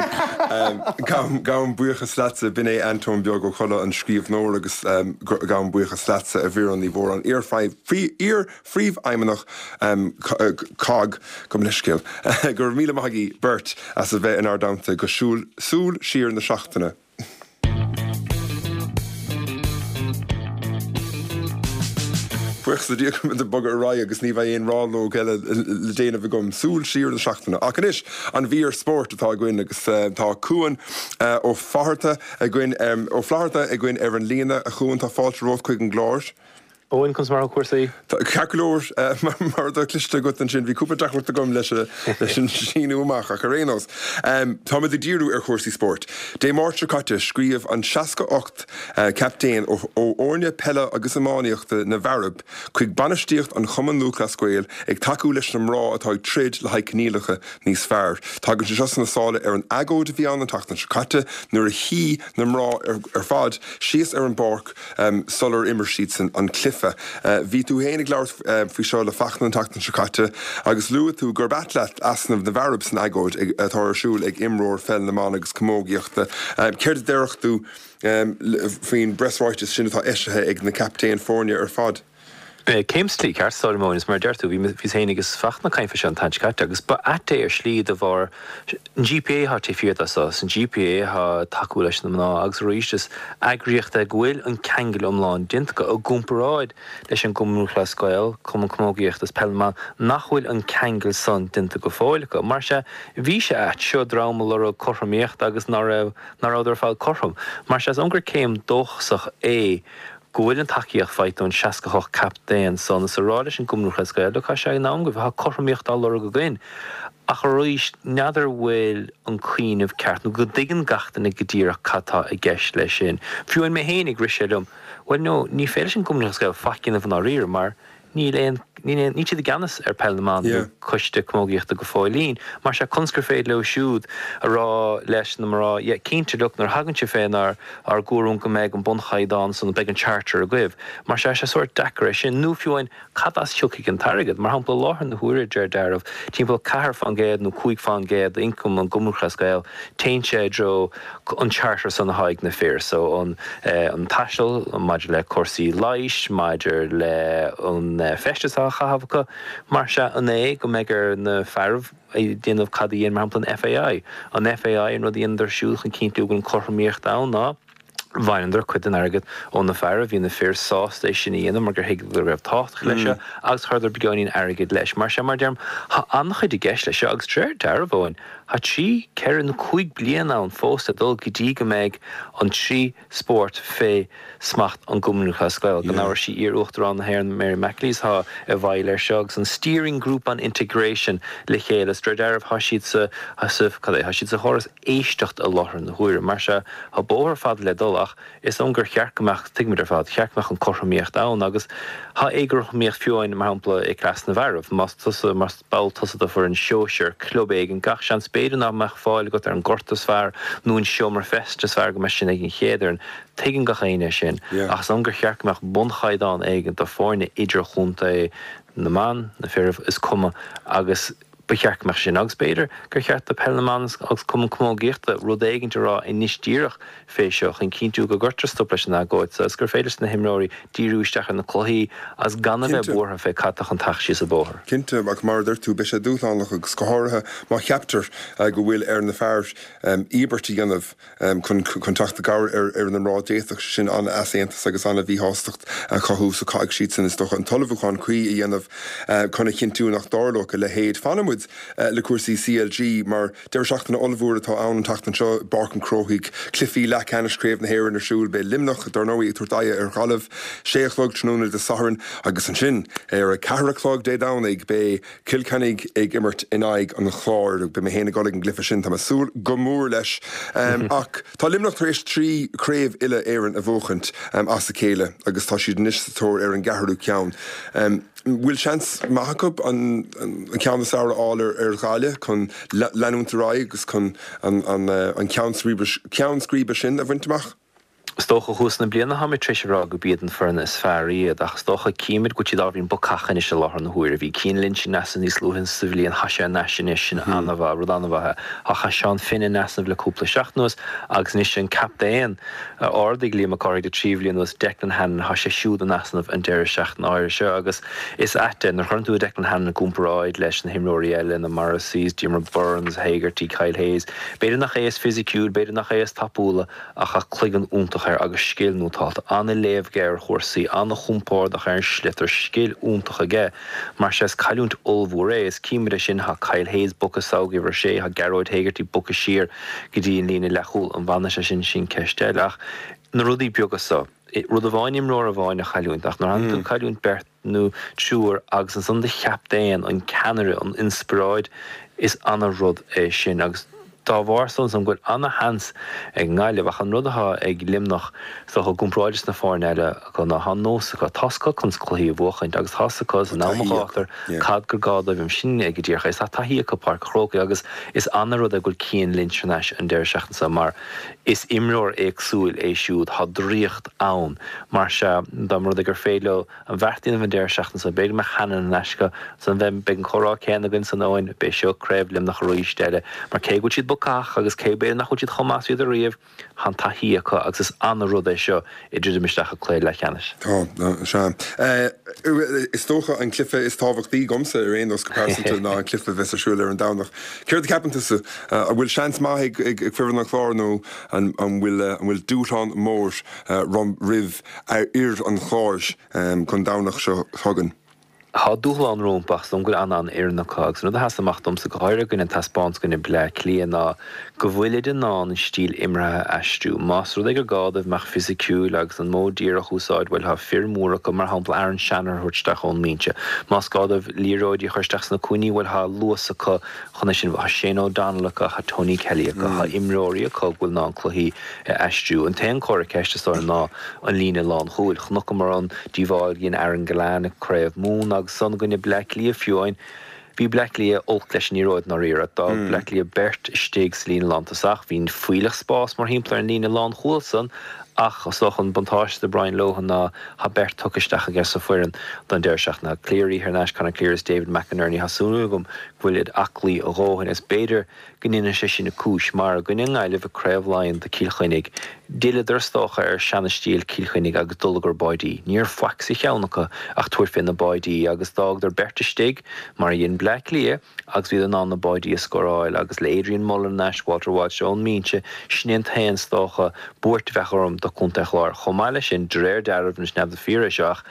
gabhaim gabhaim buíochas leatsa b'in é Antóin Beag Ó Colla an scríbhneoir agus gabhaim buíochas leatsa a Mhuireann Ní Mhóráin iar-phríomhfheidhmeannach cogg go leiscéil gur míle maith agaibh beirt as a bheith inár dteannta go siúl súil siar na seachtaine. Buíochas le Dia go bhfuil muid ag bogadh ar aghaidh agus ní bheidh aon rannóg eile le déanamh agam. Súil siar na seachtaine. Ach anois an mhír spóirt atá againn agus tá Cuan Ó Fátharta againn Ó Flatharta againn ar an líne. A Chuain, tá fáilte romhat chuig an gclár. Eoin, conas mar atá cúrsaí? Ceart go leor, mar atá cloiste agat ansin, bhí cúpla deacracht agam leis an síniú amach, ach ar aon nós, táimid ag díriú ar chúrsaí spóirt. Dé Máirt seo caite, scríobh an seasca ocht captaen ó fhoirne peile agus iománaíochta na bhfearaibh chuig bainistíocht an Chumann Lúthchleas Gael ag tacú leis na mná atá ag troid le haghaidh coinníollacha níos fearr. Tagann sé seo sna sála ar an agóid a bhí ann an tseachtain seo caite nuair a shuigh na mná ar fad síos ar an bpáirc sular imir siadsan an cluiche. Bhí tú féin ag labhairt faoi seo le Fachtna an tseachtain seo caite agus luaigh tú gurb ait leat easnamh na bhfearaibh san agóid atá ar siúl ag imreoir pheil na mban agus camógaíochta. Céard a déarfadh tú faoin bpreasráiteas sin atá eisithe ag na captaein foirne ar fad? Céim sa tslí ceart, Solomon, is mar a deir tú, bhí bhíos féin agus Fachtna ag caint faoi seo an tseachtain seo caite agus ba ait é ar shlí de bharr an GPA atá taobh thiar de so, is an GPA atá ag tacú leis na mná agus arís is eagraíocht é go bhfuil an ceangal iomlán déanta acu i gcomparáid leis an gCumann Lúthchleas Gael, Cumann Camógaíochta is Peil na mBan nach bhfuil an ceangal san déanta go fóill acu. Mar sea, bhí sé ait, seo dream ag lorg cothromaíocht agus ná raibh, ná rabhadar ar fad cothrom. Mar sea, is dóigh liom gur céim dóchasach é go bhfuil an tacaíocht faighte ón seasca hocht captaen san is a rá leis an gCumann Lúthchleas Gael, look, tá sé in am agaibh, tá cothromaíocht á lorg againn. Ach arís, n'fheadar bhfuil an cuimhneamh ceart nó go dtuigeann gach duine go díreach cad tá i gceist leis sin. Fiú amháin mé féinig, rith sé liom, bhuel no, ní féidir leis an gCumann Lúthchleas Gael faic a dhéanamh i ndáiríre mar níl aon, níl aon, níl siad i gceannas ar Peil na mBan nó Coiste Camógaíochta go fóillín. Mar sea, conas gur féidir leo siúd a rá leis na mná, yeah, cinnte, look, nuair a thagann sibh fénar ár gcúram go mbeidh an bunchaighdeán san, beidh an charter agaibh. Mar sea, sé sórt deacair é sin. Nó fiú amháin, cad as thiocfaidh an t-airgead? Mar shampla, i láthair na huaire, deir dealramh, timpeall ceathair fán gcéad nó cúig fán gcéad d'ioncam an gCumann Lúthchleas Gael, téann sé i dtreo an charter san atá ag na fir. So, an, an taisteal, maidir le cúrsaí leighis, maidir le an feisteas atá á chaitheamh acu. Mar sea, an é go mbeidh ar na fearaibh déanamh cad a dhein, mar shampla, an FAI? An FAI, an rud a dheineadar siúd chun cinntiú go bhfuil an chothromaíocht ann ná bhaineadar cuid den airgead ó na fearaibh, bhí na fir sásta é sin a dhéanamh mar gur thuigeadar go raibh tábhacht leis seo agus chuireadar beagáinín airgid leis. Mar sea, mar a deirim, tá an-chuid i gceist leis seo agus de réir dealraimh, Eoin, tá trí, ceithre nó cúig bliana ann fós le dul go dtí go mbeidh an trí spórt fé smacht an gCumann Lúthchleas Gael. Gan amhras sí iar-Uachtarán na hÉireann Mary McAleese atá i bhfeighil air seo agus an Steering Group on Integration le chéile. Is de réir dealraimh tá siad sa, sa, cad é, tá siad sa chóras éisteachta i láthair na huaire. Mar sea, tá bóthar fada le dul ach is dóigh liom gur cheart go mbeadh, tuigimid ar fad, cheart go mbeadh an cothromaíocht ann agus tá éagothromaíocht fiú amháin, mar shampla, i gcleas na bhfearaibh. Más tusa, más ball tusa de foireann sóisir club éigin, gach seans b'fhéidir nach mbeadh fáil agat ar an ngort is fearr nó an seomra feistis is fearr go mbeadh sin ag an chéad fhoireann. Tuigeann gach éinne é sin. Ach is dóigh liom gur cheart go mbeadh bunchaighdeán éigin do foirne idirchontae na mban, na fearaibh, is cuma, agus ba cheart go mbeadh sin. Agus b'fhéidir gur cheart do Peil na mBan agus Cumann Camógaíochta rud éigint a rá anois díreach fé seo chun cinntiú go gcuirtear stop leis an agóid seo agus gur féidir leis na himreoirí díriú isteach ar na cluichí agus gan a bheith buartha fé cad tá chun teacht síos an bóthar. Cinnte, ach mar a deir tú, beidh sé dúshlánach agus go háirithe má cheaptar go bhfuil ar na fear íobairt a dhéanamh chun chun teacht i gcabhair ar na mná, d'fhéadfadh sé sin an-easaontas agus an-mhíshástacht a chothú so caithfidh siadsan, is dócha, an t-ullmhúchán cuí a dhéanamh chun a chinntiú nach dtarlódh a leithéid. Fanann muid le cúrsaí CLG mar deireadh seachtaine ollmhór atá ann an tseachtain seo i bPáirc an Chrócaigh, cluichí leathcheannais Chraobh na hÉireann ar siúl. Beidh Luimneach, dar ndóigh, ag tabhairt aghaidh ar Ghaillimh, sé a chlog tráthnóna Dé Sathairn agus ansin ar a ceathair a chlog Dé Domhnaigh beidh Cill Chainnigh ag imirt in aghaidh an Chláir. Beidh mé féin ag dul ag an gcluiche sin, tá mé ag súil go mór leis. Ach tá Luimneach tar éis trí chraobh uile-Éireann a bhuachaint as a chéile agus tá siad anois sa tóir ar an gceathrú ceann. Bhfuil seans maith acu an ceann is fearr a fháil ar Ghaillimh chun leanúint ar aghaidh agus chun an ceann scríbe sin a bhaint amach? Is dócha thuas na bliana táimid tar éis a rá gurb iad an foireann is fearr iad, ach is dócha címid go bhfuil siad ábhairín bacach anois i láthair na huaire. Bhí Cian Lynch in easnamh níos luaithe sa bhliain, tá sé in ais anois, sin an-mhaith, rud an-mhaith é. Ach tá Seán Finn in easnamh le cúpla seachtain anuas agus anois an captaen a ardaigh Liam Mac Cárthaigh le trí bhliain anuas, Declan Hannon, tá sé siúd in easnamh an deireadh seachtaine áirithe seo agus is ait é nuair a chuireann tú Declan Hannon i gcomparáid leis na himreoirí eile, na Morrisseys, Diarmaid Byrnes, Hegarty, Kyle Hayes, b'fhéidir nach é is fisiciúil, b'fhéidir nach é is tapúla ach tá cloigeann iontach iontach air agus scil nótálta, an-léamh aige ar chúrsaí, an-chompordach ar an sliotar, scil iontach aige. Mar sea, is cailliúint ollmhór é. Is címid é sin, tá Kyle Hayes bogtha sall go uimhir a sé, tá Gearóid Hegarty bogtha siar go dtí an líne leathchúil. An bhfanfaidh sé sin, sin ceist eile. Ach na rudaí beaga so, rud amháin imreoir amháin a chailliúint, ach nuair a théann tú ag cailliúint beirt nó triúr agus ansan do chaptaen, an ceannaire, an inspioráid, is ana-rud é sin agus dá bharr san go bhfuil ana-sheans ag nGaillimh. Ach an rud atá ag Luimneach is dócha i gcomparáid leis na foirne eile acu ná tá an nós acu, tá 's acu conas cluichí a bhuachaint agus tá 's acu san am a ghátar cad gur gá dóibh sin go díreach é. Tá taithí acu Páirc an Chrócaigh agus is ana-rud é go bhfuil Cian Lynch thar n-ais an deireadh seachtaine seo mar is imreoir éagsúil é siúd, tá draíocht ann. Mar sea, dá mba rud é gur féidir leo an bheart a dhéanamh an deireadh seachtaine seo, b'fhéidir go mbeadh Hannon in aisce san bheidh beidh an comhrá céanna againn san Eoin, beidh seo craobh Luimneach arís eile, mar cé go bhfuil siad bacach agus cé b'fhéidir nach bhfuil siad chomh maith is bhíodar riamh, tá an taithí acu agus is ana-rud é seo ag druidim isteach i cluiche leathcheannais. Tá, sea. Is dócha an cluiche is tábhachtaí dhomsa ar aon nós go pearsanta ná an cluiche a bheas ar siúl ar an Domhnach. Céard a cheapann tusa? An bhfuil seans maith ag foireann an Chláir nó an bhfuil dúshlán mór roimh fhir an Chláir don Domhnach seo chugainn? Tá dúshlán rompu ach is dóigh liom go bhfuil an-an-fhoireann acu agus an rud a sheas amach domsa go háirithe i gcoinne an taispeántas i gcoinne Bleá Cliath ná go bhfuilid in ann an stíl imeartha a aistriú. Más rud é gur gá dóibh mbeadh fisiciúil agus an modh díreach a úsáid, bhuel tá fir mhóra acu, mar shampla Aaron Shanahan a thabhairt isteach ón mbinse. Más gá dóibh liathróidí a chur isteach sna cúinní, bhuel tá luas acu chun é sin. Tá Shane O'Donnell acu, tá Tony Kelly acu, tá imreoirí acu go bhfuil in ann cluichí a aistriú. An t-aon chomhartha ceiste is dóigh ná an líne lánchúil. Chonaiceamar an díobháil a dhein Aaron Gillane i gCraobh Mumhan agus san i gcoinne Bleá Cliath fiú amháin. Bhí Bleá Cliath olc leis an liathróid i ndáiríre. D'fhág Bleá Cliath beirt istigh sa líne lántosach. Bhí fuílleach spás mórthimpeall ar an líne lánchúil san ach is dócha an buntáiste do Brian Lohan ná tá beirt tugtha isteach aige sa foireann don deireadh seachtaine. Tá Cleary thar n-ais, Conor Cleary is David McInerney. Tá súil agam go bhfuil iad aclaí a dhóthain is b'fhéidir go ndéanfaidh sé sin cúis, mar i gcoinne na Gaillimhe i gCraobh Laighean do Cill Chainnigh, d'fhilleadar is dócha ar seana-stíl Cill Chainnigh agus dul i gcomhair báidí. Ní raibh faic sa cheann acu ach tabhairt fé na báidí agus d'fhágadar beirt istigh, mar a dhein Bleá Cliath, agus bhíodar in ann na báidí a scóráil agus le Adrian Mullen thar n-ais, Walter Walsh ón mbinse, sin é an t-aon, is dócha, buairt a bheadh orm do Chontae an Chláir. Chomh maith leis sin, de réir dealraimh, anois n'fheadar fíor é seo ach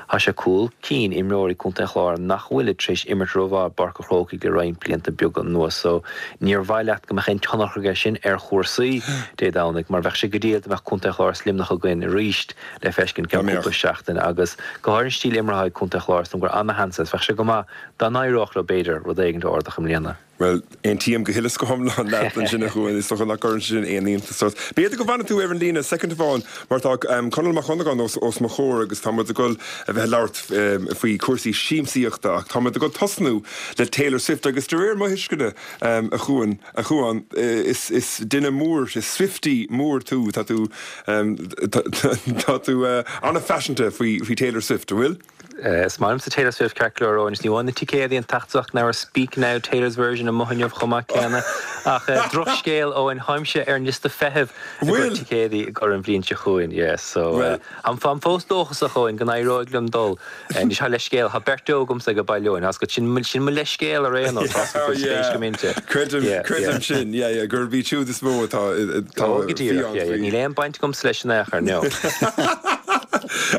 tá sé cúl cinn imreoirí Contae an Chláir nach bhfuilid tar éis imirt rómhaith i bPáirc an Chrócaigh le roinnt blianta beaga anuas so níor mhaith leat go mbeadh aon tionchar aige sin ar chúrsaí Dé Domhnaigh mar bheadh sé go diail dá mbeadh Contae an Chláir is Luimneach againn arís le feiscint ceann cúpla seachtain agus go háirithe an stíl imeartha ag Contae an Chláir is dóigh liom gur ana-sheans é is bheadh sé go maith dá n-éireodh leo b'fhéidir rud éigin a ardach i mbliana. Bhuel, aontaím go huile is go hiomlán leat ansin, a Chuain. Is dócha nach gcuireann sé sin aon iontas ort. B'fhéidir go bhfanfaidh tú ar an líne soicind amháin mar tá Conall Mac Dhonnagáin os os mo chomhair agus tá muid ag dul a bheith ag labhairt faoi chúrsaí siamsaíochta ach tá muid ag dul tosnú le Taylor Swift agus de réir mo thuisceana, a Chuain, a Chuain, is is duine mór, is Swiftie mór tú, tá tú tá tú an-phaiseanta faoi faoi Taylor Swift, an bhfuil? Is maith liomsa Taylor Swift ceart go leor Eoin, ní amháin na ticéadaí an tseachtain ach Speak Now, Taylor's Version amuigh inniu chomh maith céanna. Ach drochscéal Eoin, táimse ar an liosta feithimh i gcomhair ticéadaí i gcomhair an bhliain seo chugainn. Yeah, so táim fós dóchasach Eoin go n-éireoidh liom dul. Anois tá leithscéal, tá beirt agamsa ag baile Eoin, tá sin sin mo leithscéal ar aon nós, tá spéis go mb'inti. Creidim, creidim sin, yeah, yeah, gurb iad siúd is mó atá atá Ó go díreach, yeah, yeah, níl aon baint agamsa leis in aon chor, no.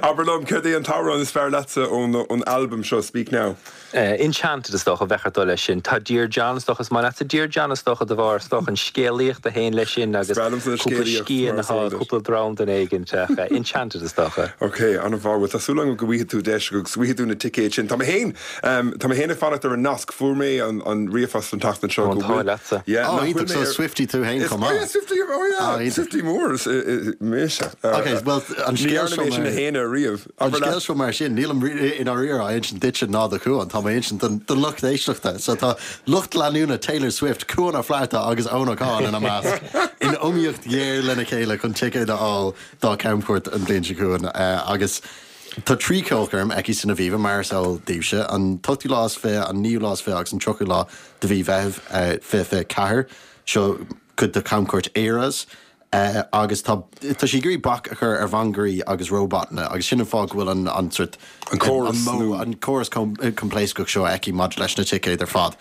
Abair liom, céard é an t-amhrán is fearr leatsa ón ón albam seo, Speak Now? Enchanted is dócha, bheadh ort dul leis sin. Tá Dear John is dócha, is maith leatsa Dear John is dócha de bharr is dócha an scéalaíocht a théann leis sin agus Is breá liomsa na cúpla scéalaíocht scian mar is atá, eol duit. cúpla dram den éigint ach Enchanted is dócha. Ok, an-mhaith. Bhuel, tá súil agam go bhfaighidh tú deis agus go bhfaighidh tú na ticéid sin. Tá mé féin, tá mé féin ag fanacht ar an nasc. Fuair mé an an ríomhphost an tseachtain seo Ó, an go t-ádh bhfuil, leatsa. yeah, Ó, nach bhfuil iontach, mé so ar, Swiftie tú féin is, chomh oh yeah, maith. Swiftie, oh yeah, Ah, iontach. Swiftie mór, is, mise. Ok, bhuel, an Ní scéal dhearna seo mé sin a mar. shéanadh riamh. An Abair scéal leat. seo mar sin, nílim i ndáiríre á insint duitse ná do Chuan, tá mé insint don don lucht éisteachta. So tá lucht leanúna Taylor Swift, Cuan Ó Flatharta agus Eoin Ó Catháin ina measc in iomaíocht ghéar lena chéile chun ticéad a fháil dá camchuairt an bhliain seo chugainn. Agus tá trí cheolchoirm aici san Aviva mar is eol daoibhse, an t-ochtú lá is fiche, an naoú lá is fiche agus an tríochú lá de mhí Mheithimh fiche fiche ceathair. Seo cuid de chamchuairt Eras. Agus tá tá sí ag iarraidh bac a chur ar mhangairí agus róbatanna agus sin an fáth go bhfuil an an sort An córas an modh nó. an córas coimpléascach seo aici maidir leis na ticéid ar fad.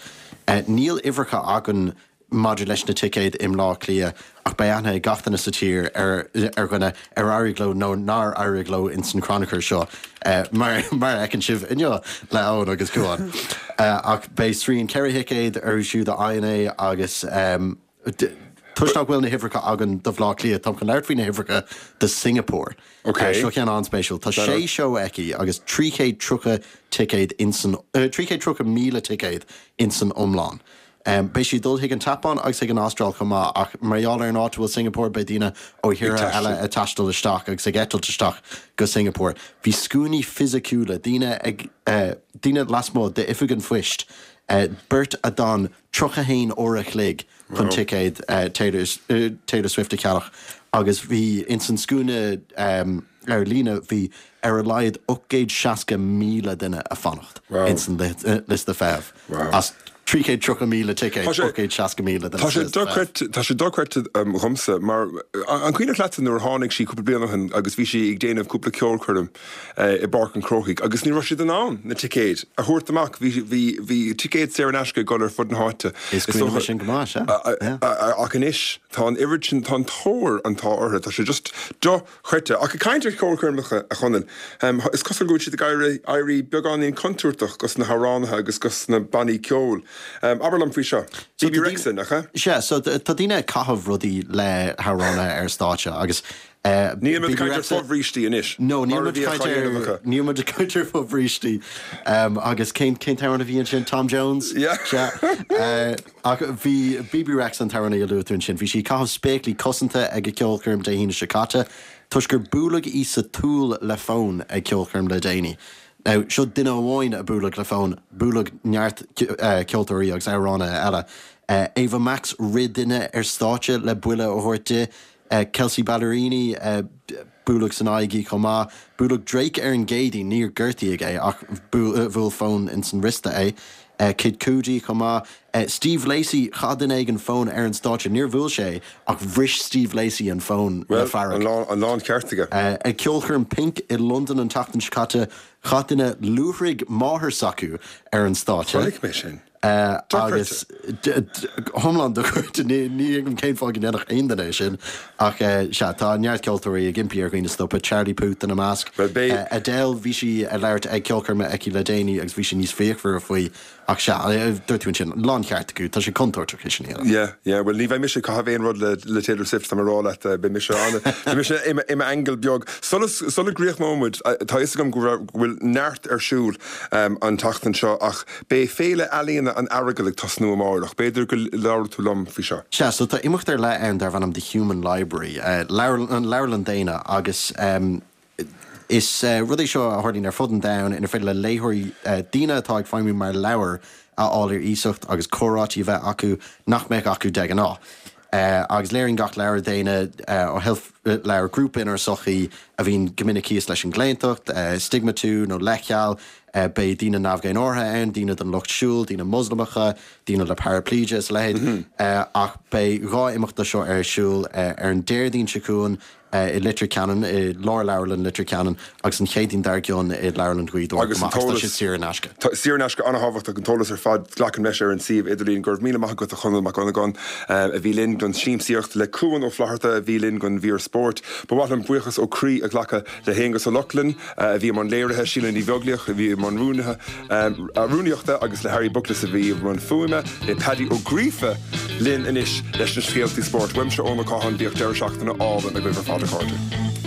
Níl uimhreacha againn maidir leis na ticéid i mBleá Cliath ach beidh aithne ag gach duine sa tír ar ar dhuine ar éirigh leo nó nár éirigh leo ins an crannchur seo mar mar a fheiceann sibh inniu le Eoin agus Cuán. Ach beidh srian ceithre thicéad orthu siúd a fhaigheann é agus toisc nach bhfuil na huimhreacha againn do Bhleá Cliath, táim chun labhairt faoi na huimhreacha do Singapore. Seo ceann an-spéisiúil. Tá sé seó aici agus trí chéad tríocha ticéad insan, trí chéad tríocha míle ticéad insan iomlán. Beidh sí ag dul chuig an tSeapáin agus chuig an Astráil chomh maith ach mar gheall ar an áit a bhfuil Singapore beidh daoine ó thíortha eile ag taisteal isteach agus ag eitilt isteach go Singapore. Bhí scuainí fisiciúla, daoine ag, daoine lasmuigh d'oifig an phoist, beirt a d'fhan tríocha haon uair a chloig chun ticéad Taylor Swift a cheannach agus bhí ins an scuaine ar líne bhí ar a laghad ocht gcéad seasca míle duine ag fanacht ins an liosta feithimh as trí chéad tríocha míle ticéad, ocht gcéad seasca míle duine Tá sé dochreidte, tá sé dochreidte dhomsa mar an cuimhneach leatsa nuair a tháinig sí cúpla bliain ó shin agus bhí sí ag déanamh cúpla ceolchoirm i bPáirc an Chrócaigh agus ní raibh siad in ann na ticéid a thabhairt amach, bhí, bhí, bhí ticéid saor in aisce ag dul ar fud na háite. Is cuimhin liom sin go maith, sea. Ach anois tá an oiread sin, tá an tóir atá orthu, tá sé just dochreidte. Ach ag caint ar cheolchoirmeacha, a Chonaill, is cosúil go bhfuil siad ag éirí, éirí beagáinín contúirteach dos na hamhránaithe agus dos na bannaí ceoil. Abair liom faoi seo. Bebe Rexha, nach ea? Sea, so tá daoine ag caitheamh rudaí le hamhránaithe ar stáitse agus Níl muid ag caint ar fho-bhrístí anois. No, níl muid ag caint ar, níl muid ag caint ar fho-bhrístí. Agus cén, cén t-amhrán a bhí ansin? Tom Jones? Yeah. Sea. Ach bhí Bebe Rexha an t-amhránaí a luaigh tú ansin, bhí sí ag caitheamh spéaclaí cosanta ag a ceolchoirm Dé hAoine seo caite toisc gur buaileadh í sa tsúil le fón ag ceolchoirm le déanaí. Now, seo duine amháin a buaileadh le fón, buaileadh neart ceoltóirí agus amhránaithe eile. Ava Max, rith duine ar stáitse le buille a thabhairt di. Kelsea Ballerini, buaileadh san aghaidh í chomh maith. Buaileadh Drake ar an gCéadaoin, níor gortaíodh é ach bhuail fón ins an wriosta é. Kid Cudi chomh maith. Steve Lacy, chaith duine éigin fón ar an stáitse, níor bhuail sé é ach bhris Steve Lacy an fón le fearg. Bhuel, an láncheart aige. Ag ceolchoirm Pink i Londain an tseachtain seo caite, chaith duine luaithrigh máthar s'acu ar an stáitse. Chonaic mé sin. Agus iomlán dochreidte, ní thuigim cén fáth go ndéanfadh aon duine é sin. Ach sea, tá neart ceoltóirí ag impí ar dhaoine stopadh, Charlie Puth ina measc. Adele, bhí sí ag labhairt ag ceolchoirm aici le déanaí agus bhí sí níos fíochmhaire faoi. Ach sea, dúirt tú ansin, láncheart acu, tá sé contúirteach é sin a dhéanamh. Yeah, yeah, bhuel ní bheidh mise ag caitheamh aon rud le le Taylor Swift, tá mé ag rá leat, beidh mise an, beidh mise i i m'aingeal beag. Sula sula gcríochnóidh muid, tá a fhios agam go raibh go bhfuil neart ar siúl an tseachtain seo ach beidh Féile Ealaíona an Earagail ag tosnú amárach, b'fhéidir go labhróidh tú liom faoi seo. Sea, so tá imeacht ar leith ann darbh ainm The Human Library, leabharlann, leabharlann daonna agus Is rud é seo a tharlaíonn ar fud an domhain inar féidir le léitheoirí daoine atá ag feidhmiú mar leabhair a fháil ar iasacht agus comhráití a bheith acu nach mbeadh acu de ghnáth. Agus léiríonn gach leabhar daonna ó sheilf leabhar grúpa inár sochaí a bhíonn go minic thíos leis an gclaontacht, stiogmatú nó leithcheal. Beidh daoine neamh-dhénártha ann, daoine den lucht siúil, daoine Moslamacha, daoine le paraipléise is a leithéid. Ach beidh dhá imeacht de seo ar siúl ar an Déardaoin seo chugainn, i Leitir Ceanainn, i Lárleabharlann Leitir Ceanainn agus an Chéadaoin dár gcionn i Leabharlann Ghaoth Dobhair Agus chomh an maith agus tá t-eolas, siad saor in aisce. Tá, saor in aisce, an-thábhachtach, an t-eolas ar fad, glacaim leis, ar an suíomh idirlín. Go raibh míle maith agat a Chonall Mac Dhonnagáin a bhí linn don siamsaíocht, le Cuan Ó Flatharta a bhí linn don mhír spóirt. Ba mhaith liom buíochas ó chroí a ghlacadh le hAonghus Ó Lochlainn a bhí i mbun léirithe, Síle Ní Bheaglaoich a bhí i mbun rúnaithe, rúnaíochta agus le Harry Buckless a bhí i mbun fuaime, le Paddy Ó Gríofa linn anois leis na scéaltaí spóirt. Uaimse Eoin Ó Catháin, bíodh deireadh seachtaine álainn agaibh ar fad a chairde.